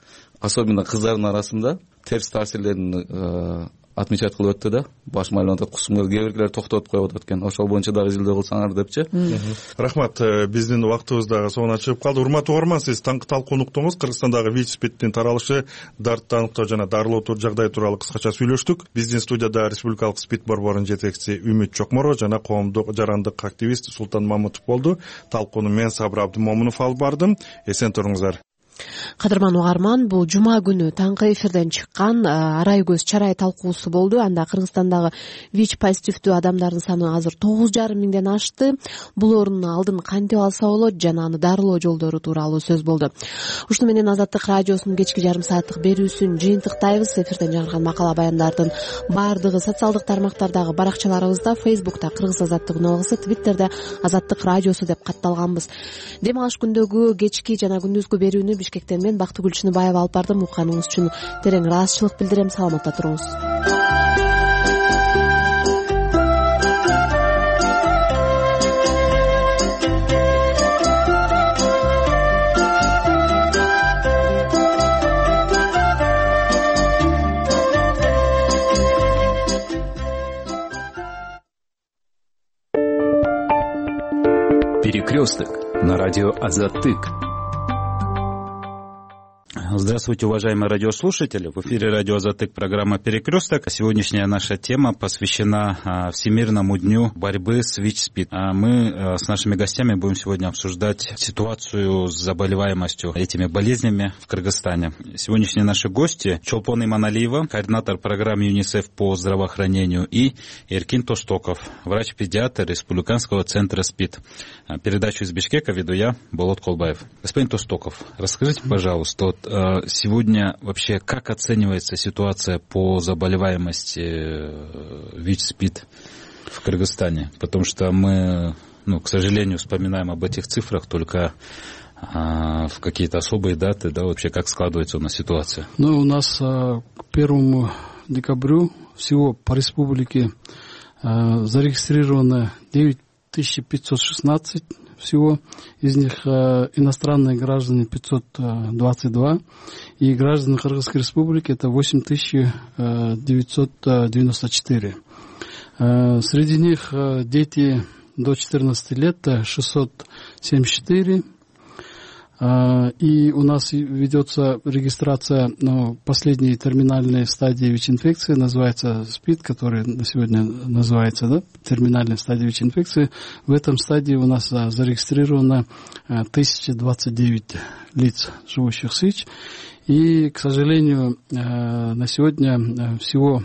особенно кыздардын арасында терс таасирлерин отмечать кылып өттү да, баш маалымат кусумга кээ биркилер токтотуп коюп атат экен, ошол боюнча дагы изилдөө кылсаңар депчи. Рахмат. Биздин убактыбыз дагы соңуна чыгып калды. Урматтуу угарман, сиз таңкы талкуу уктуңуз. Кыргызстандагы ВИЧ-СПИДтин таралышы, дартты аныктоо жана дарылоо жагдай тууралуу кыскача сүйлөштүк. Биздин студияда Республикалык СПИД борборунун жетекчиси Үмүт Чокморова жана коомдук жарандык активист Султан Мамытов болду. Талкууну мен Сабыр Абдымомунов алып бардым. Эсен туруңуздар. Кадырман угарман, бул жума күнү таңкы эфирден чыккан арай көз чарай талкуусу болду. Анда Кыргызстандагы ВИЧ позитивдүү адамдардын саны азыр тогуз жарым миңден ашты. Бул оорунун алдын кантип алса болот жана аны дарылоо жолдору тууралуу сөз болду. Ушуну менен Азаттык радиосунун кечки жарым сааттык берүүсүн жыйынтыктайбыз. Эфирден жарган макала баяндардын баардыгы социалдык тармактардагы баракчаларыбызда, Фейсбукта Кыргыз Азаттык ногасы, Твиттерде Азаттык радиосу деп катталганбыз. Дем алыш күндөгү кечки жана күндүзгү берүүнү Бишкектен мен Бактыгүл Чыныбаева алып бардым. Укканыңыз үчүн терең ыраазычылык билдирем. Саламатта туруңуз. Перекресток на радио Азаттык. Здравствуйте, уважаемые радиослушатели. В эфире радио Азаттык, программа «Перекресток». Сегодняшняя наша тема посвящена Всемирному дню борьбы с ВИЧ-СПИД. Мы с нашими гостями будем сегодня обсуждать ситуацию с заболеваемостью этими болезнями в Кыргызстане. Сегодняшние наши гости — Чолпон Иманалиева, координатор программы ЮНИСЕФ по здравоохранению, и Эркин Тоштоков, врач-педиатр Республиканского центра СПИД. Передачу из Бишкека веду я, Болот Колбаев. Господин Тоштоков, расскажите, пожалуйста, вот сегодня вообще как оценивается ситуация по заболеваемости ВИЧ-СПИД в Кыргызстане? Потому что мы, ну, к сожалению, вспоминаем об этих цифрах только а, в какие-то особые даты, да, вообще как складывается у нас ситуация? Ну, у нас а, к первому декабрю всего по республике а, зарегистрировано девять тысяч пятьсот шестнадцать всего, из них э, иностранные граждане пятьсот двадцать два, и граждане Кыргызской республики это восемь тысяч девятьсот девяносто четыре. Э, среди них э, дети до четырнадцати лет шестьсот семьдесят четыре. И у нас ведется регистрация, ну, последней терминальной стадии ВИЧ-инфекции, называется СПИД, который на сегодня называется, да, терминальной стадии ВИЧ-инфекции. В этом стадии у нас зарегистрировано тысяча двадцать девять лиц, живущих с ВИЧ. И, к сожалению, на сегодня всего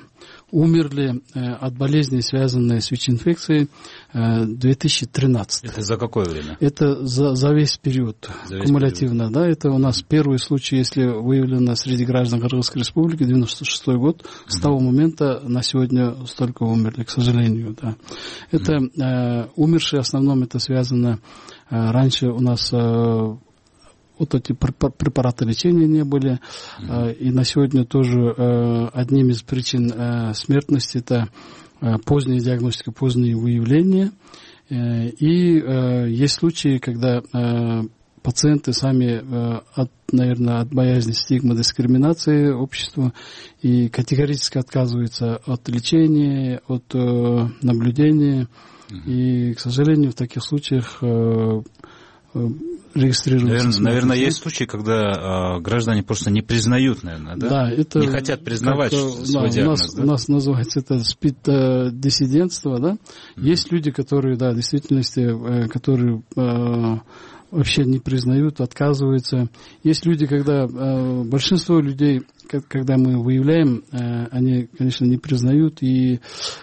умерли от болезней, связанной с ВИЧ-инфекцией, две тысячи тринадцать. Это за какое время? Это за, за весь период, за весь кумулятивно. Период. Да, это у нас первый случай, если выявлено среди граждан Кыргызской республики, девяносто шестой год. Mm-hmm. С того момента на сегодня столько умерли, к сожалению. Да. Это mm-hmm. э, умершие, в основном это связано, э, раньше у нас... Э, Вот эти препараты лечения не были. Mm-hmm. И на сегодня тоже одним из причин смертности это поздняя диагностика, позднее выявление. И есть случаи, когда пациенты сами, от, наверное, от боязни стигмы, дискриминации общества и категорически отказываются от лечения, от наблюдения. Mm-hmm. И, к сожалению, в таких случаях регистрируется. Наверное, наверное, есть случаи, когда э, граждане просто не признают, наверное, да? Да, это не хотят признавать как, свой да, диагноз. У нас, да? у нас называется это СПИД-диссидентство, да? Mm-hmm. Есть люди, которые, да, в действительности, э, которые э, вообще не признают, отказываются. Есть люди, когда э, большинство людей, когда мы выявляем, э, они, конечно, не признают. И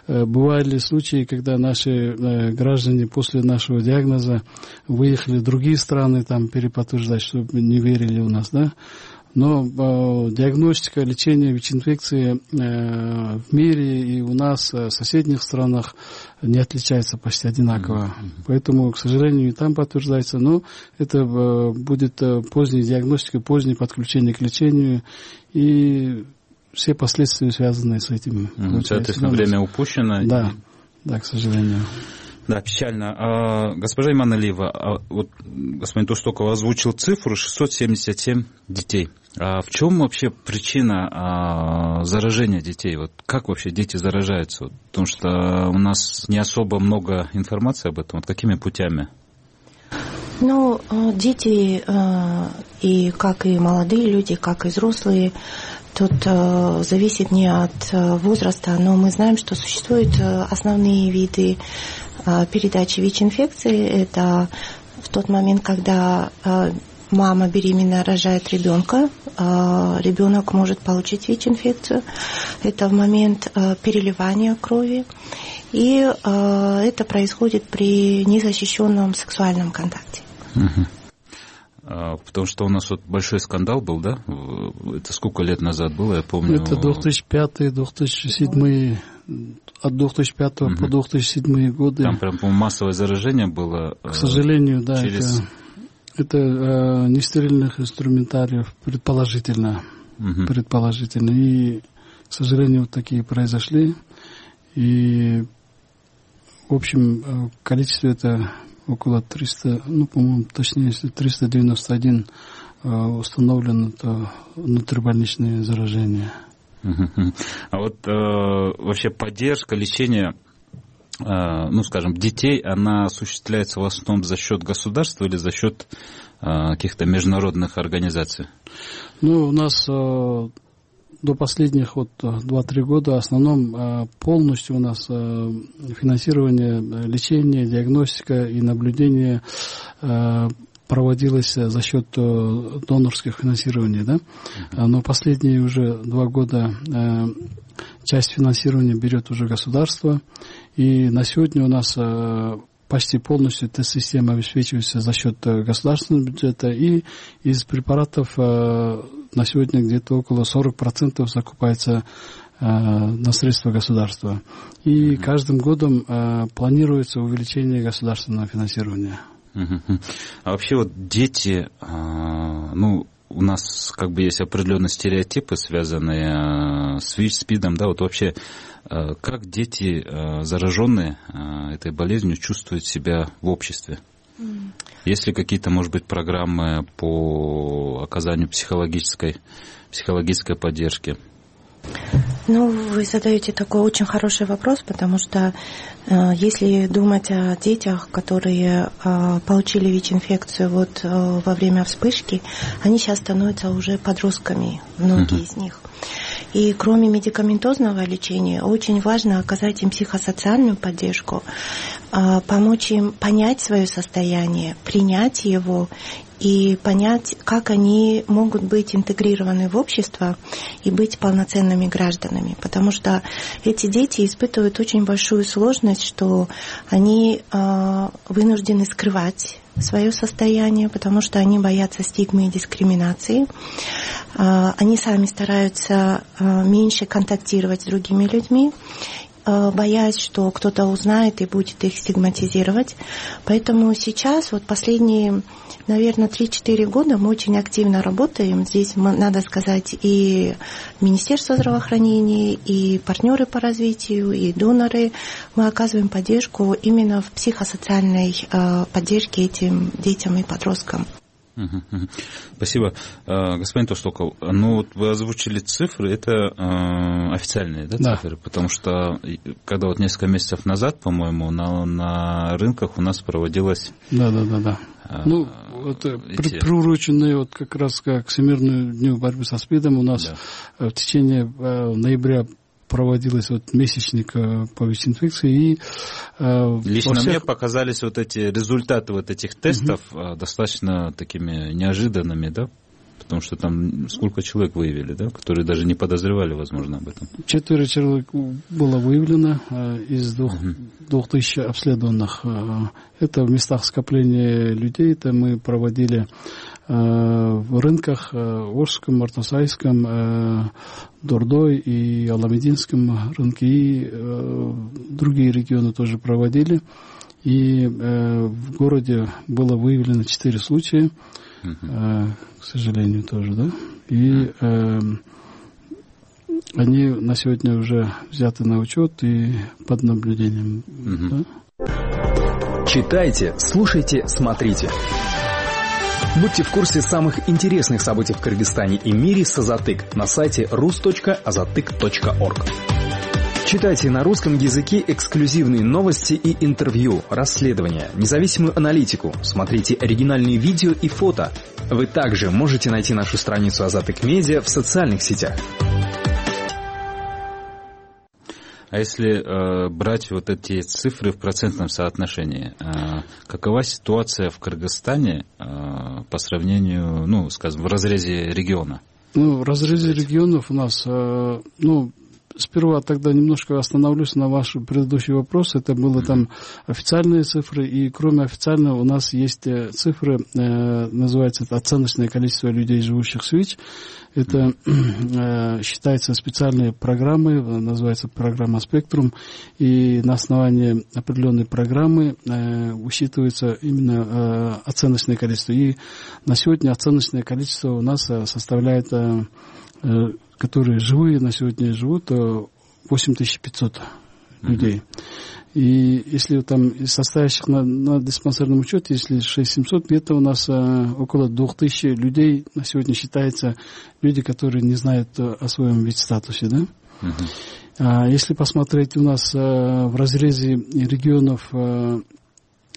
э, бывали случаи, когда наши э, граждане после нашего диагноза выехали в другие страны, там переподтверждать, чтобы не верили у нас, да. Но э, диагностика, лечение ВИЧ-инфекции э, в мире и у нас, э, в соседних странах не отличается почти одинаково. Mm-hmm. Поэтому, к сожалению, и там подтверждается. Но это э, будет э, поздняя диагностика, позднее подключение к лечению и все последствия, связанные с этим. Mm-hmm. Соответственно, время упущено. Да, да, к сожалению. Да, печально. А, госпожа Иманалиева, а, вот господин Тостоков озвучил цифру шестьсот семьдесят семь детей. А в чем вообще причина а, заражения детей? Вот как вообще дети заражаются? Вот, потому что у нас не особо много информации об этом. Вот какими путями? Ну, дети, и как и молодые люди, как и взрослые, тут зависит не от возраста, но мы знаем, что существуют основные виды передачи ВИЧ-инфекции. Это в тот момент, когда мама беременная рожает ребенка, ребенок может получить ВИЧ-инфекцию. Это в момент переливания крови. И это происходит при незащищенном сексуальном контакте. Угу. Потому что у нас вот большой скандал был, да? Это сколько лет назад было, я помню. Это две тысячи пятый — две тысячи седьмой, от две тысячи пятого угу. по две тысячи седьмой годы. Там прям, по-моему, массовое заражение было. К сожалению, да. Через... Это, это э, нестерильных инструментариев, предположительно. Угу. Предположительно. И, к сожалению, вот такие произошли. И, в общем, количество это около триста, ну, по-моему, точнее, если триста девяносто один э, установлено, то внутрибольничные заражения. А вот э, вообще поддержка, лечение, э, ну, скажем, детей, она осуществляется в основном за счет государства или за счет э, каких-то международных организаций? Ну, у нас э, до последних вот два-три года в основном полностью у нас финансирование лечения, диагностика и наблюдение проводилось за счет донорских финансирований, да? Но последние уже два года часть финансирования берет уже государство, и на сегодня у нас почти полностью тест-система обеспечивается за счет государственного бюджета, и из препаратов на сегодня где-то около сорок процентов закупается на средства государства. И каждым годом планируется увеличение государственного финансирования. А вообще вот дети, ну, у нас как бы есть определенные стереотипы, связанные с ВИЧ, СПИДом, да, вот вообще как дети, зараженные этой болезнью, чувствуют себя в обществе? Есть ли какие-то, может быть, программы по оказанию психологической, психологической поддержки? Ну, вы задаете такой очень хороший вопрос, потому что э, если думать о детях, которые э, получили ВИЧ-инфекцию вот э, во время вспышки, они сейчас становятся уже подростками, многие uh-huh. из них. И кроме медикаментозного лечения, очень важно оказать им психосоциальную поддержку, э, помочь им понять свое состояние, принять его и понять, как они могут быть интегрированы в общество и быть полноценными гражданами. Потому что эти дети испытывают очень большую сложность, что они э, вынуждены скрывать свое состояние, потому что они боятся стигмы и дискриминации. Э, они сами стараются э, меньше контактировать с другими людьми, боясь, что кто-то узнает и будет их стигматизировать. Поэтому сейчас, вот последние, наверное, три-четыре года мы очень активно работаем. Здесь, надо сказать, и Министерство здравоохранения, и партнеры по развитию, и доноры. Мы оказываем поддержку именно в психосоциальной поддержке этим детям и подросткам. Спасибо. Господин Тостоков, ну вот вы озвучили цифры, это э, официальные, да, да, цифры? Потому что когда вот несколько месяцев назад, по-моему, на, на рынках у нас проводилась... Да, да, да, да. А, ну, это эти... приуроченные вот как раз к Всемирному дню борьбы со СПИДом у нас да. в течение э, ноября проводилась вот месячник по ВИЧ-инфекции. И, э, Лично всех... мне показались вот эти результаты вот этих тестов угу. достаточно такими неожиданными, да? Потому что там сколько человек выявили, да, которые даже не подозревали, возможно, об этом. Четверо человек было выявлено э, из двух, угу. двух тысяч обследованных. Это в местах скопления людей. Это мы проводили в рынках Орском, Артасайском, Дордой и Аламединском рынке, и другие регионы тоже проводили. И в городе было выявлено четыре случая, uh-huh. к сожалению, тоже, да. И они на сегодня уже взяты на учет и под наблюдением. Uh-huh. Да? Читайте, слушайте, смотрите. Будьте в курсе самых интересных событий в Кыргызстане и мире с Азатык на сайте рус точка азатык точка орг. Читайте на русском языке эксклюзивные новости и интервью, расследования, независимую аналитику. Смотрите оригинальные видео и фото. Вы также можете найти нашу страницу Азатык Медиа в социальных сетях. А если э, брать вот эти цифры в процентном соотношении, э, какова ситуация в Кыргызстане э, по сравнению, ну, скажем, в разрезе региона? Ну, в разрезе регионов у нас, э, ну, сперва тогда немножко остановлюсь на ваш предыдущий вопрос. Это было там официальные цифры, и кроме официального у нас есть цифры, э, называется это оценочное количество людей, живущих в СВИЧ. Это э, считается специальные программы, называется программа «Спектрум», и на основании определенной программы э, учитывается именно э, оценочное количество. И на сегодня оценочное количество у нас составляет... Э, которые живые на сегодня живут, восемь тысяч пятьсот людей. Mm-hmm. И если там из состоящих на, на диспансерном учете, если шесть тысяч семьсот, где-то у нас а, около две тысячи людей на сегодня считается люди, которые не знают о своем ВИЧ-статусе. Да? Mm-hmm. А, если посмотреть у нас а, в разрезе регионов а,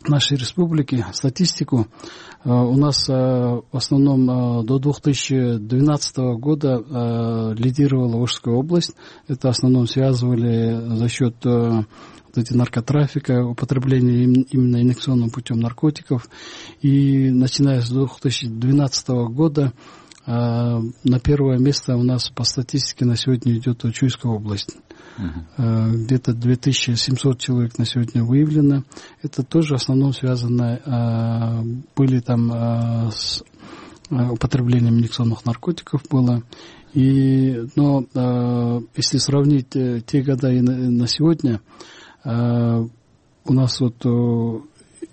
нашей республики статистику, у нас в основном до две тысячи двенадцатого года лидировала Ошская область. Это в основном связывали за счет вот эти наркотрафика, употребления именно инъекционным путем наркотиков. И начиная с две тысячи двенадцатого года на первое место у нас по статистике на сегодня идет Чуйская область. Uh-huh. Где-то две тысячи семьсот человек на сегодня выявлено. Это тоже в основном связано, были там с употреблением инъекционных наркотиков было. И, но если сравнить те года и на сегодня, у нас вот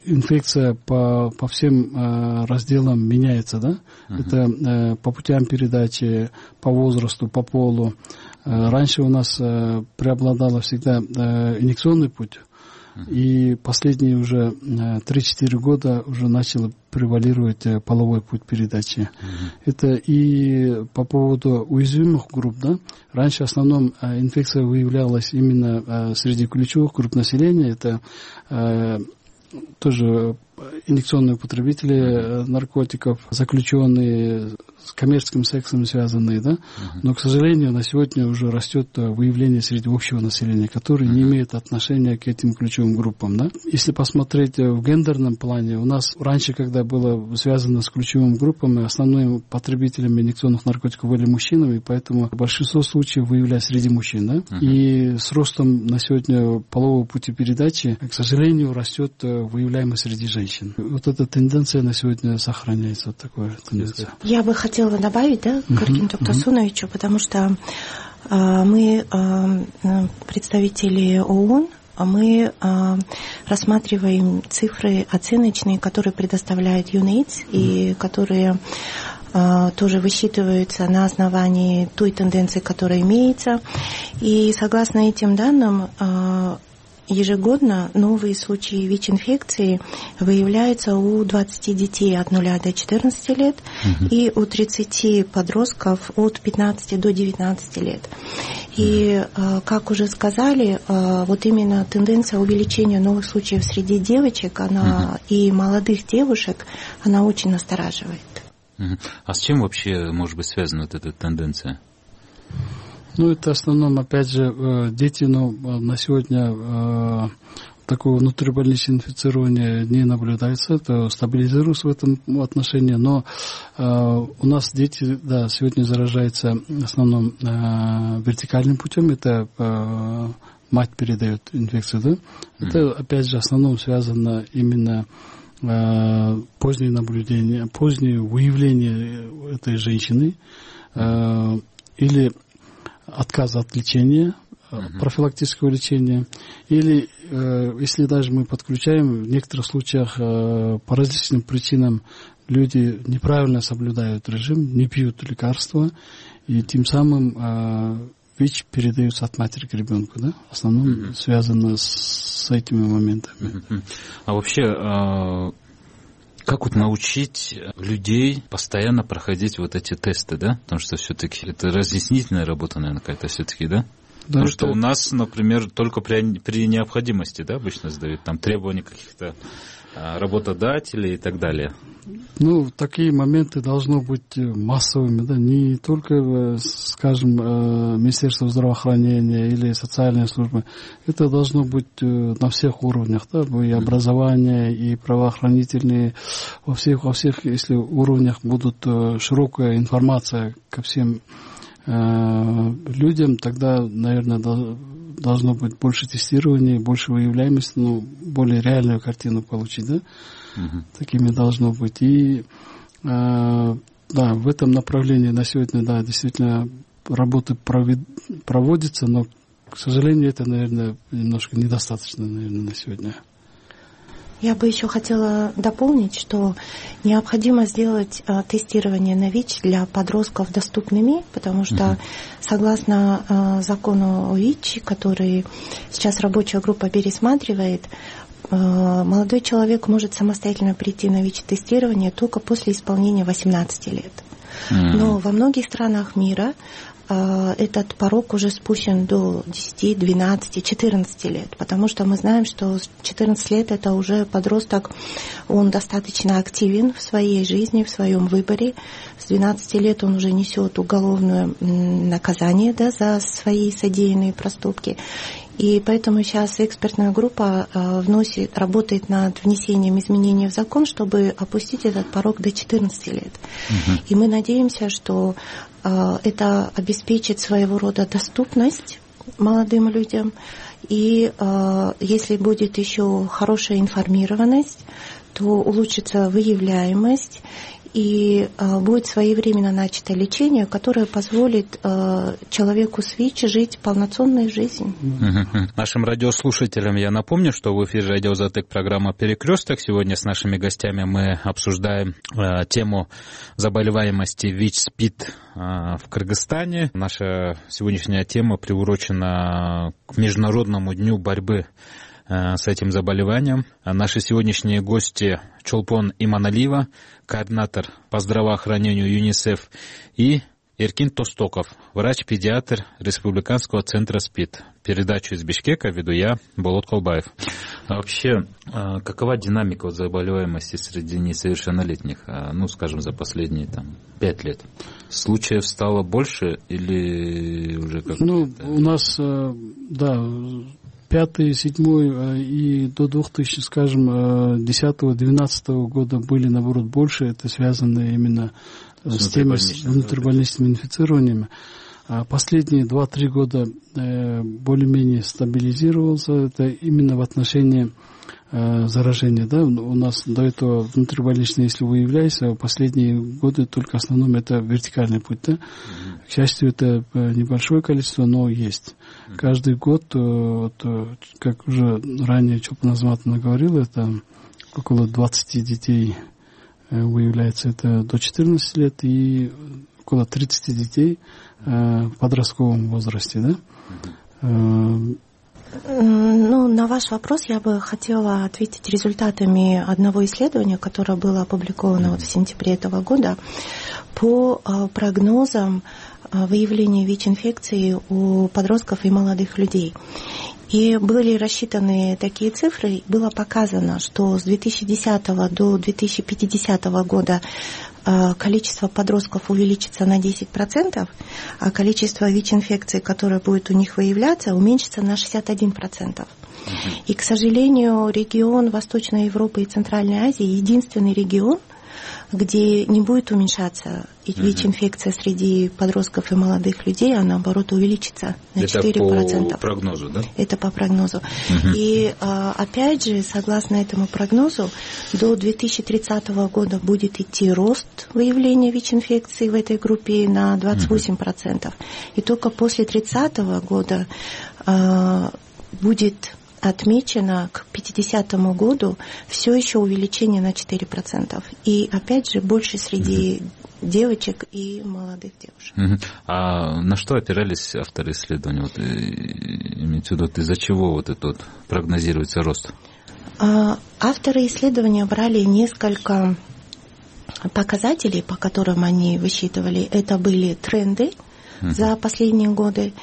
инфекция по, по всем э, разделам меняется, да? Uh-huh. Это э, по путям передачи, по возрасту, по полу. Э, раньше у нас э, преобладало всегда э, инъекционный путь, uh-huh. и последние уже э, три-четыре года уже начало превалировать э, половой путь передачи. Uh-huh. Это и по поводу уязвимых групп, да? Раньше в основном э, инфекция выявлялась именно э, среди ключевых групп населения. Это э, тоже инъекционные потребители наркотиков, заключенные, с коммерческим сексом связанные, да, uh-huh. но, к сожалению, на сегодня уже растет выявление среди общего населения, которое uh-huh. не имеет отношения к этим ключевым группам, да. Если посмотреть в гендерном плане, у нас раньше, когда было связано с ключевыми группами, основными потребителями инъекционных наркотиков были мужчинами, поэтому большинство случаев выявлялось среди мужчин, да, uh-huh. и с ростом на сегодня полового пути передачи, к сожалению, растет выявляемость среди женщин. Вот эта тенденция на сегодня сохраняется, вот такая тенденция. Я бы хотела добавить, да, к Аргенту Тасуновичу, потому что э, мы, э, представители ООН, мы э, рассматриваем цифры оценочные, которые предоставляет ЮНЭЙДС, mm-hmm. и которые э, тоже высчитываются на основании той тенденции, которая имеется. И согласно этим данным, э, ежегодно новые случаи ВИЧ-инфекции выявляются у двадцати детей от нуля до четырнадцати лет uh-huh. и у тридцати подростков от пятнадцати до девятнадцати лет. И, как уже сказали, вот именно тенденция увеличения новых случаев среди девочек, она uh-huh. и молодых девушек, она очень настораживает. Uh-huh. А с чем вообще может быть связана вот эта тенденция? Ну, это в основном, опять же, дети, ну, на сегодня э, такого внутрибольничного инфицирования не наблюдается, это стабилизируется в этом отношении, но э, у нас дети, да, сегодня заражаются в основном э, вертикальным путем, это э, мать передает инфекцию, да, mm-hmm. это, опять же, в основном связано именно э, позднее наблюдение, позднее выявление этой женщины э, или отказ от лечения, uh-huh. профилактического лечения, или э, если даже мы подключаем, в некоторых случаях э, по различным причинам люди неправильно соблюдают режим, не пьют лекарства, и тем самым э, ВИЧ передается от матери к ребенку, да, в основном mm-hmm. связано с этими моментами. Mm-hmm. А вообще, как вот научить людей постоянно проходить вот эти тесты, да? Потому что все-таки это разъяснительная работа, наверное, какая-то все-таки, да? Да, Потому это... что у нас, например, только при, при необходимости, да, обычно задают там требования каких-то а, работодателей и так далее. Ну, такие моменты должны быть массовыми, да, не только, скажем, Министерство здравоохранения или социальные службы. Это должно быть на всех уровнях, да, и образование, и правоохранительные, во всех, во всех, если уровнях будут широкая информация ко всем людям, тогда, наверное, должно быть больше тестирования, больше выявляемости, ну, более реальную картину получить, да? Uh-huh. Такими должно быть. И, э, да, в этом направлении на сегодня, да, действительно, работы провед... проводятся, но, к сожалению, это, наверное, немножко недостаточно, наверное, на сегодня. Я бы еще хотела дополнить, что необходимо сделать э, тестирование на ВИЧ для подростков доступными, потому что, mm-hmm. согласно э, закону о ВИЧ, который сейчас рабочая группа пересматривает, э, молодой человек может самостоятельно прийти на ВИЧ-тестирование только после исполнения восемнадцати лет. Mm-hmm. Но во многих странах мира этот порог уже спущен до десяти, двенадцати, четырнадцати лет, потому что мы знаем, что с четырнадцати лет это уже подросток, он достаточно активен в своей жизни, в своем выборе. С двенадцати лет он уже несет уголовное наказание, да, за свои содеянные проступки. И поэтому сейчас экспертная группа вносит, работает над внесением изменений в закон, чтобы опустить этот порог до четырнадцати лет. Угу. И мы надеемся, что это обеспечит своего рода доступность молодым людям. И если будет еще хорошая информированность, то улучшится выявляемость. И э, будет своевременно начато лечение, которое позволит э, человеку с ВИЧ жить полноценной жизнью. Uh-huh. Нашим радиослушателям я напомню, что в эфире радио «Затык» программа «Перекресток». Сегодня с нашими гостями мы обсуждаем э, тему заболеваемости ВИЧ-СПИД э, в Кыргызстане. Наша сегодняшняя тема приурочена к Международному дню борьбы с этим заболеванием. Наши сегодняшние гости — Чолпон Иманалиева, координатор по здравоохранению ЮНИСЕФ, и Эркин Тостоков, врач-педиатр Республиканского центра СПИД. Передачу из Бишкека веду я, Болот Колбаев. А вообще, какова динамика заболеваемости среди несовершеннолетних, ну, скажем, за последние там, пять лет? Случаев стало больше или уже как-то? Ну, у нас, да, пятый, седьмой и до двухтысячного, скажем, десятого, двенадцатого года были, наоборот, больше. Это связано именно с, с теми внутрибольничными инфицированиями. А последние два-три года более-менее стабилизировался. Это именно в отношении заражения. Да? У нас до этого внутрибольничные, если выявляется, в последние годы только в основном это вертикальный путь. Да? Mm-hmm. К счастью, это небольшое количество, но есть. Mm-hmm. Каждый год, вот, как уже ранее Чолпон Азаматовна говорила, это около двадцати детей выявляется, это до четырнадцати лет, и около тридцати детей в подростковом возрасте. Да? Mm-hmm. Ну, на ваш вопрос я бы хотела ответить результатами одного исследования, которое было опубликовано вот в сентябре этого года, по прогнозам выявления ВИЧ-инфекции у подростков и молодых людей. И были рассчитаны такие цифры, было показано, что с две тысячи десятого до две тысячи пятидесятого года количество подростков увеличится на десять процентов, а количество ВИЧ-инфекций, которое будет у них выявляться, уменьшится на шестьдесят один процент. Uh-huh. И, к сожалению, регион Восточной Европы и Центральной Азии единственный регион, где не будет уменьшаться ВИЧ-инфекция среди подростков и молодых людей, а наоборот увеличится на четыре процента. Это по прогнозу, да? Это по прогнозу. Uh-huh. И опять же, согласно этому прогнозу, до две тысячи тридцатого года будет идти рост выявления ВИЧ-инфекции в этой группе на двадцать восемь процентов. Uh-huh. И только после тридцатого года будет отмечено к пятидесятому году все еще увеличение на четыре процента. И опять же больше среди девочек и молодых девушек. Uh-huh. А на что опирались авторы исследования? Вот, имеется в виду, из-за чего вот этот вот прогнозируется рост? А, авторы исследования брали несколько показателей, по которым они высчитывали. Это были тренды uh-huh. за последние годы.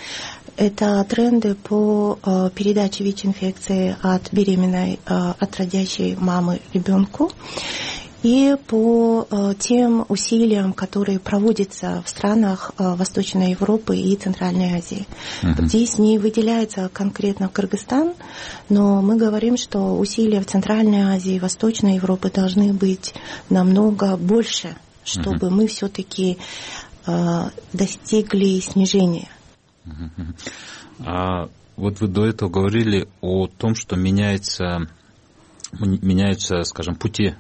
Это тренды по э, передаче ВИЧ-инфекции от беременной, э, от родящей мамы ребенку. И по э, тем усилиям, которые проводятся в странах э, Восточной Европы и Центральной Азии. Uh-huh. Здесь не выделяется конкретно Кыргызстан, но мы говорим, что усилия в Центральной Азии и Восточной Европе должны быть намного больше, чтобы uh-huh. мы все-таки э, достигли снижения. Uh-huh. А вот вы до этого говорили о том, что меняется... меняются, скажем, пути,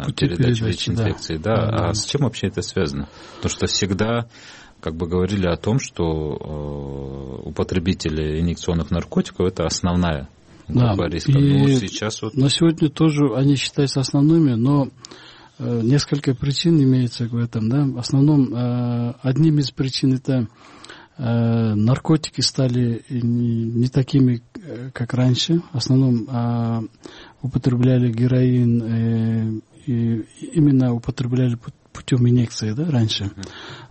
пути передачи ВИЧ-инфекции. Да. Да. Да. А с чем вообще это связано? Потому что всегда как бы говорили о том, что у потребителей инъекционных наркотиков это основная группа да. риска. И ну, сейчас вот... на сегодня тоже они считаются основными, но несколько причин имеется в этом. Да? В основном одним из причин это наркотики стали не такими, как раньше. В основном употребляли героин, и именно употребляли путем инъекции, да, раньше.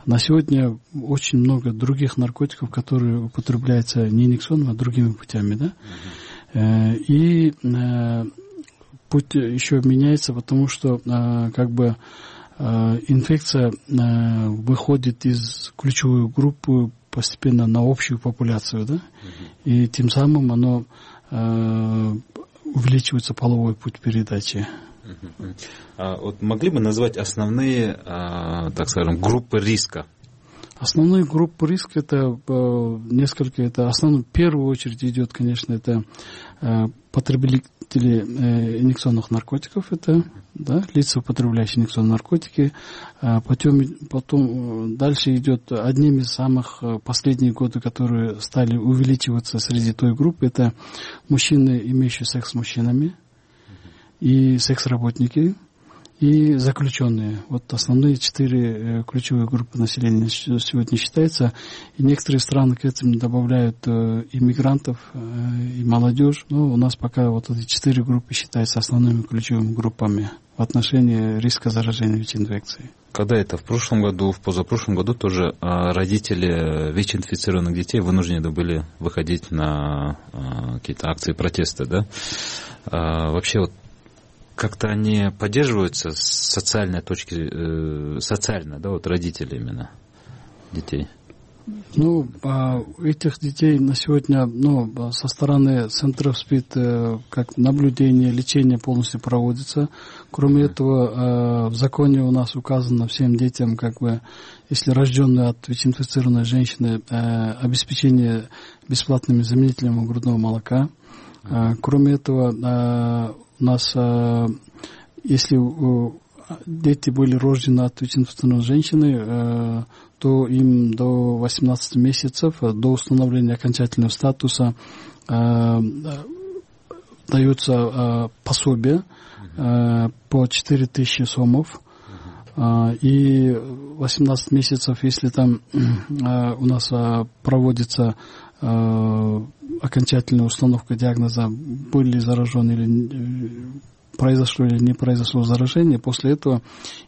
На сегодня очень много других наркотиков, которые употребляются не инъекционными, а другими путями, да. И путь еще меняется, потому что как бы инфекция выходит из ключевой группы постепенно на общую популяцию, да, uh-huh. и тем самым оно э, увеличивается половой путь передачи. Uh-huh. А вот могли бы назвать основные, э, так скажем, группы риска? Основные группы риска это э, несколько, это основном, в первую очередь идет, конечно, это э, потребители э, инъекционных наркотиков, это да, лица, употребляющие инъекционные наркотики. Э, потом, потом дальше идет одним из самых последних годы, которые стали увеличиваться среди той группы, это мужчины, имеющие секс с мужчинами, и секс-работники, и заключенные. Вот основные четыре ключевые группы населения сегодня считаются. И некоторые страны к этим добавляют иммигрантов и молодежь. Но у нас пока вот эти четыре группы считаются основными ключевыми группами в отношении риска заражения ВИЧ-инфекцией. Когда это? В прошлом году, в позапрошлом году тоже родители ВИЧ-инфицированных детей вынуждены были выходить на какие-то акции протеста, да? Вообще вот как-то они поддерживаются с социальной точки, э, социально, да, вот родители именно детей? Ну, а этих детей на сегодня, ну, со стороны центров СПИД, э, как наблюдение, лечение полностью проводится. Кроме mm-hmm. этого, э, в законе у нас указано всем детям, как бы, если рожденные от ВИЧ-инфицированной женщины, э, обеспечение бесплатными заменителями грудного молока. Mm-hmm. Э, кроме этого, э, у нас, если дети были рождены от ВИЧ-инфицированной женщины, то им до восемнадцати месяцев, до установления окончательного статуса, дается пособие по четыре тысячи сомов. И восемнадцать месяцев, если там у нас проводится окончательная установка диагноза, были заражены или произошло или не произошло заражение, после этого,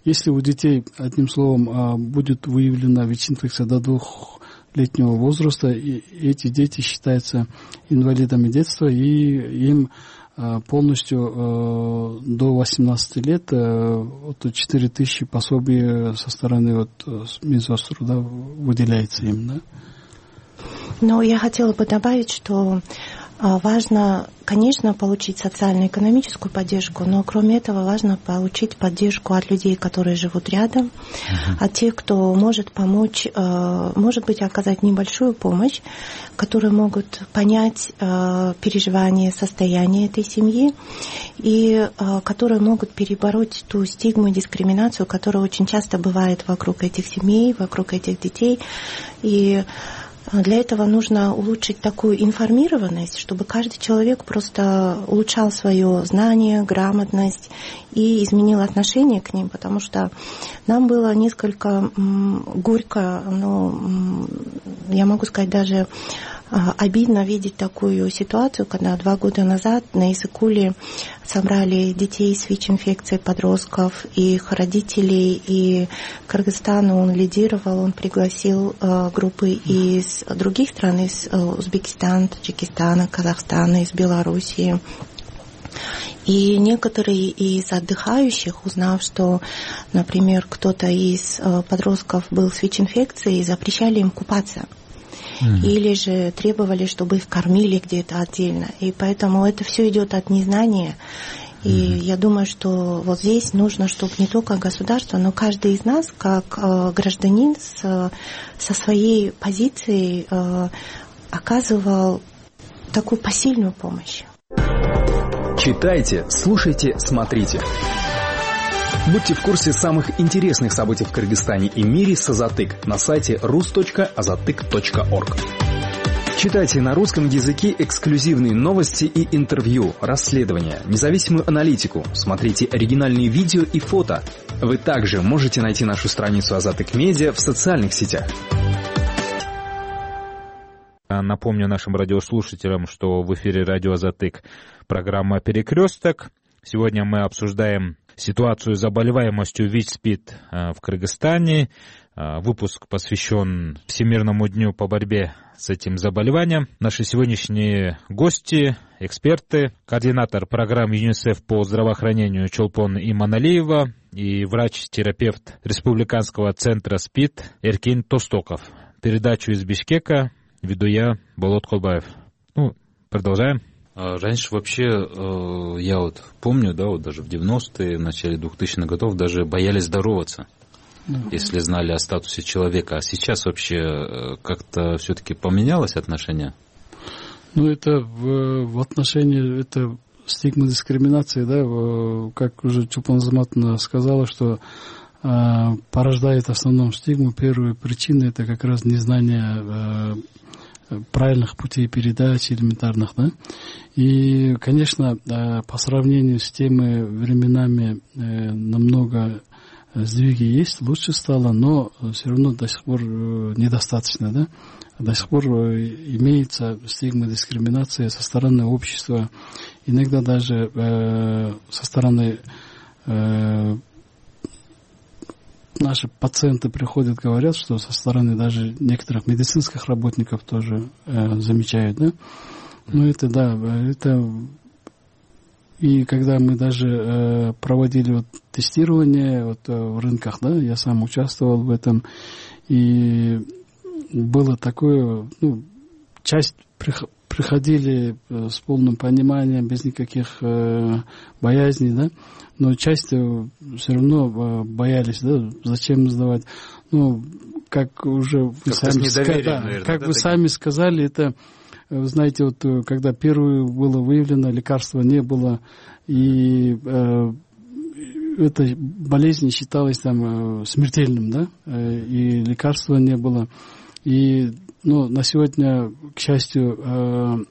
если у детей, одним словом, будет выявлена ВИЧ-инфекция до двухлетнего возраста, и эти дети считаются инвалидами детства, и им полностью до восемнадцати лет вот четыре тысячи пособий со стороны вот, Минсоцтруда выделяется им, да? Но я хотела бы добавить, что важно, конечно, получить социально-экономическую поддержку, но кроме этого важно получить поддержку от людей, которые живут рядом, uh-huh. от тех, кто может помочь, может быть, оказать небольшую помощь, которые могут понять переживания, состояние этой семьи, и которые могут перебороть ту стигму и дискриминацию, которая очень часто бывает вокруг этих семей, вокруг этих детей. И Для этого нужно улучшить такую информированность, чтобы каждый человек просто улучшал свое знание, грамотность и изменил отношение к ним, потому что нам было несколько горько, но я могу сказать даже обидно видеть такую ситуацию, когда два года назад на Иссык-Куле собрали детей с ВИЧ-инфекцией, подростков, и их родителей, и Кыргызстан он лидировал, он пригласил э, группы из других стран, из э, Узбекистана, Таджикистана, Казахстана, из Белоруссии. И некоторые из отдыхающих, узнав, что, например, кто-то из э, подростков был с ВИЧ-инфекцией, запрещали им купаться. Mm-hmm. Или же требовали, чтобы их кормили где-то отдельно. И поэтому это все идет от незнания. И mm-hmm. я думаю, что вот здесь нужно, чтобы не только государство, но каждый из нас, как э, гражданин, с, со своей позицией э, оказывал такую посильную помощь. Читайте, слушайте, смотрите. Будьте в курсе самых интересных событий в Кыргызстане и мире с Азатык на сайте рус точка азатык точка орг. Читайте на русском языке эксклюзивные новости и интервью, расследования, независимую аналитику, смотрите оригинальные видео и фото. Вы также можете найти нашу страницу Азатык Медиа в социальных сетях. Напомню нашим радиослушателям, что в эфире радио Азатык программа «Перекресток». Сегодня мы обсуждаем ситуацию с заболеваемостью ВИЧ-СПИД в Кыргызстане. Выпуск посвящен Всемирному дню по борьбе с этим заболеванием. Наши сегодняшние гости, эксперты, координатор программ ЮНИСЕФ по здравоохранению Чолпон Иманалиева и врач-терапевт Республиканского центра СПИД Эркин Тостоков. Передачу из Бишкека веду я, Болот Колбаев. Ну, продолжаем. Раньше вообще, я вот помню, да, вот даже в девяностые, в начале двухтысячных годов даже боялись здороваться, mm-hmm. если знали о статусе человека. А сейчас вообще как-то все-таки поменялось отношение? Ну, это в, в отношении, это стигма дискриминации, да, в, как уже Чулпан Азаматовна сказала, что э, порождает в основном стигму. Первая причина — это как раз незнание э, правильных путей передачи элементарных, да. И, конечно, по сравнению с теми временами намного сдвиги есть, лучше стало, но все равно до сих пор недостаточно, да. До сих пор имеется стигма дискриминации со стороны общества, иногда даже со стороны наши пациенты приходят, говорят, что со стороны даже некоторых медицинских работников тоже э, замечают, да. Ну, это, да, это... И когда мы даже э, проводили вот тестирование вот, э, в рынках, да, я сам участвовал в этом, и было такое, ну, часть прих- приходили э, с полным пониманием, без никаких э, боязней, да, но часть все равно боялись, да, зачем сдавать. Ну, как уже вы как сами, ска- да, наверное, как да, вы сами сказали, это, вы знаете, вот когда первое было выявлено, лекарства не было, и э, эта болезнь считалась там смертельным, да, и лекарства не было. И, ну, на сегодня, к счастью, э,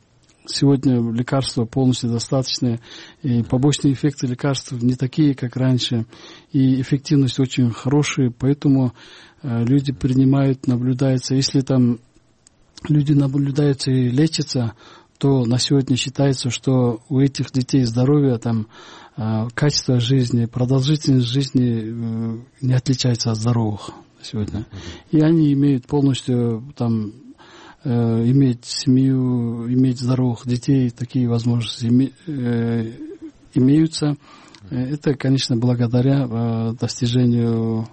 сегодня лекарства полностью достаточны, и побочные эффекты лекарств не такие, как раньше, и эффективность очень хорошая, поэтому э, люди принимают, наблюдаются. Если там люди наблюдаются и лечатся, то на сегодня считается, что у этих детей здоровье, там, э, качество жизни, продолжительность жизни э, не отличается от здоровых сегодня. И они имеют полностью там иметь семью, иметь здоровых детей, такие возможности име, э, имеются. Это, конечно, благодаря достижению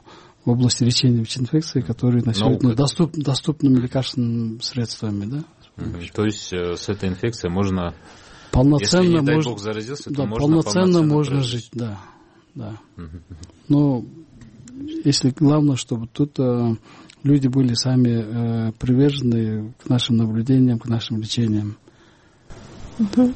в области лечения ВИЧ-инфекции, которые на сегодня доступ, доступными лекарственными средствами. Да? Mm-hmm. То есть с этой инфекцией можно, полноценно если, не дай мож... Бог, заразился, то да, можно полноценно, полноценно можно жить. жить. Да, да. Mm-hmm. Но если главное, чтобы тут э, люди были сами э, привержены к нашим наблюдениям, к нашим лечениям. Угу.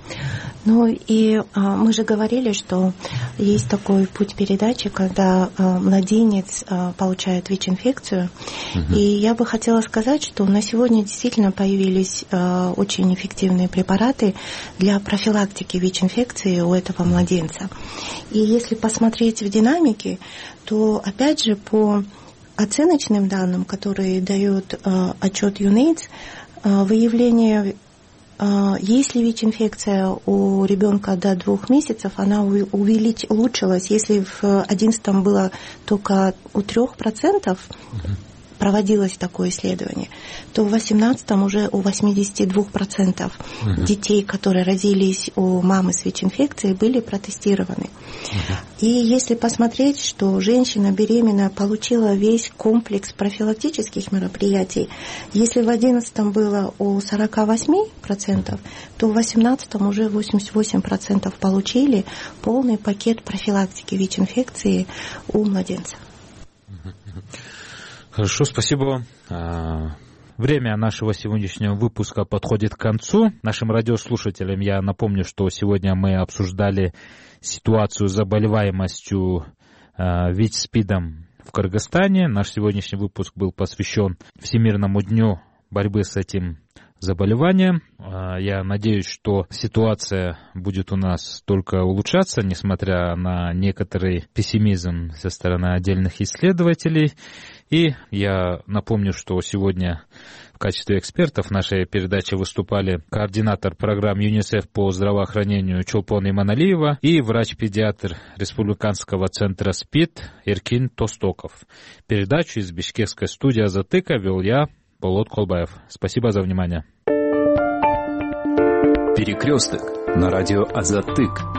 Ну и а, мы же говорили, что есть такой путь передачи, когда а, младенец а, получает ВИЧ-инфекцию. Угу. И я бы хотела сказать, что на сегодня действительно появились а, очень эффективные препараты для профилактики ВИЧ-инфекции у этого младенца. И если посмотреть в динамике, то опять же по оценочным данным, которые дает а, отчет ЮНЕЙДС, а, выявление если ВИЧ-инфекция у ребенка до двух месяцев, она увелич... улучшилась. Если в две тысячи одиннадцатом было только у трех процентов проводилось такое исследование, то в две тысячи восемнадцатом уже у восьмидесяти двух процентов uh-huh. детей, которые родились у мамы с ВИЧ-инфекцией, были протестированы. Uh-huh. И если посмотреть, что женщина беременная получила весь комплекс профилактических мероприятий, если в две тысячи одиннадцатом было у сорока восьми процентов, то в две тысячи восемнадцатом уже восемьдесят восемь процентов получили полный пакет профилактики ВИЧ-инфекции у младенца. Хорошо, спасибо. Время нашего сегодняшнего выпуска подходит к концу. Нашим радиослушателям я напомню, что сегодня мы обсуждали ситуацию с заболеваемостью ВИЧ-СПИДом в Кыргызстане. Наш сегодняшний выпуск был посвящен Всемирному дню борьбы с этим заболеванием. Я надеюсь, что ситуация будет у нас только улучшаться, несмотря на некоторый пессимизм со стороны отдельных исследователей. И я напомню, что сегодня в качестве экспертов в нашей передаче выступали координатор программ ЮНИСЕФ по здравоохранению Чолпон Иманалиева и врач-педиатр Республиканского центра СПИД Эркин Тостоков. Передачу из бишкекской студии «Азатыка» вел я, Болот Колбаев. Спасибо за внимание. Перекресток на радио «Азатык».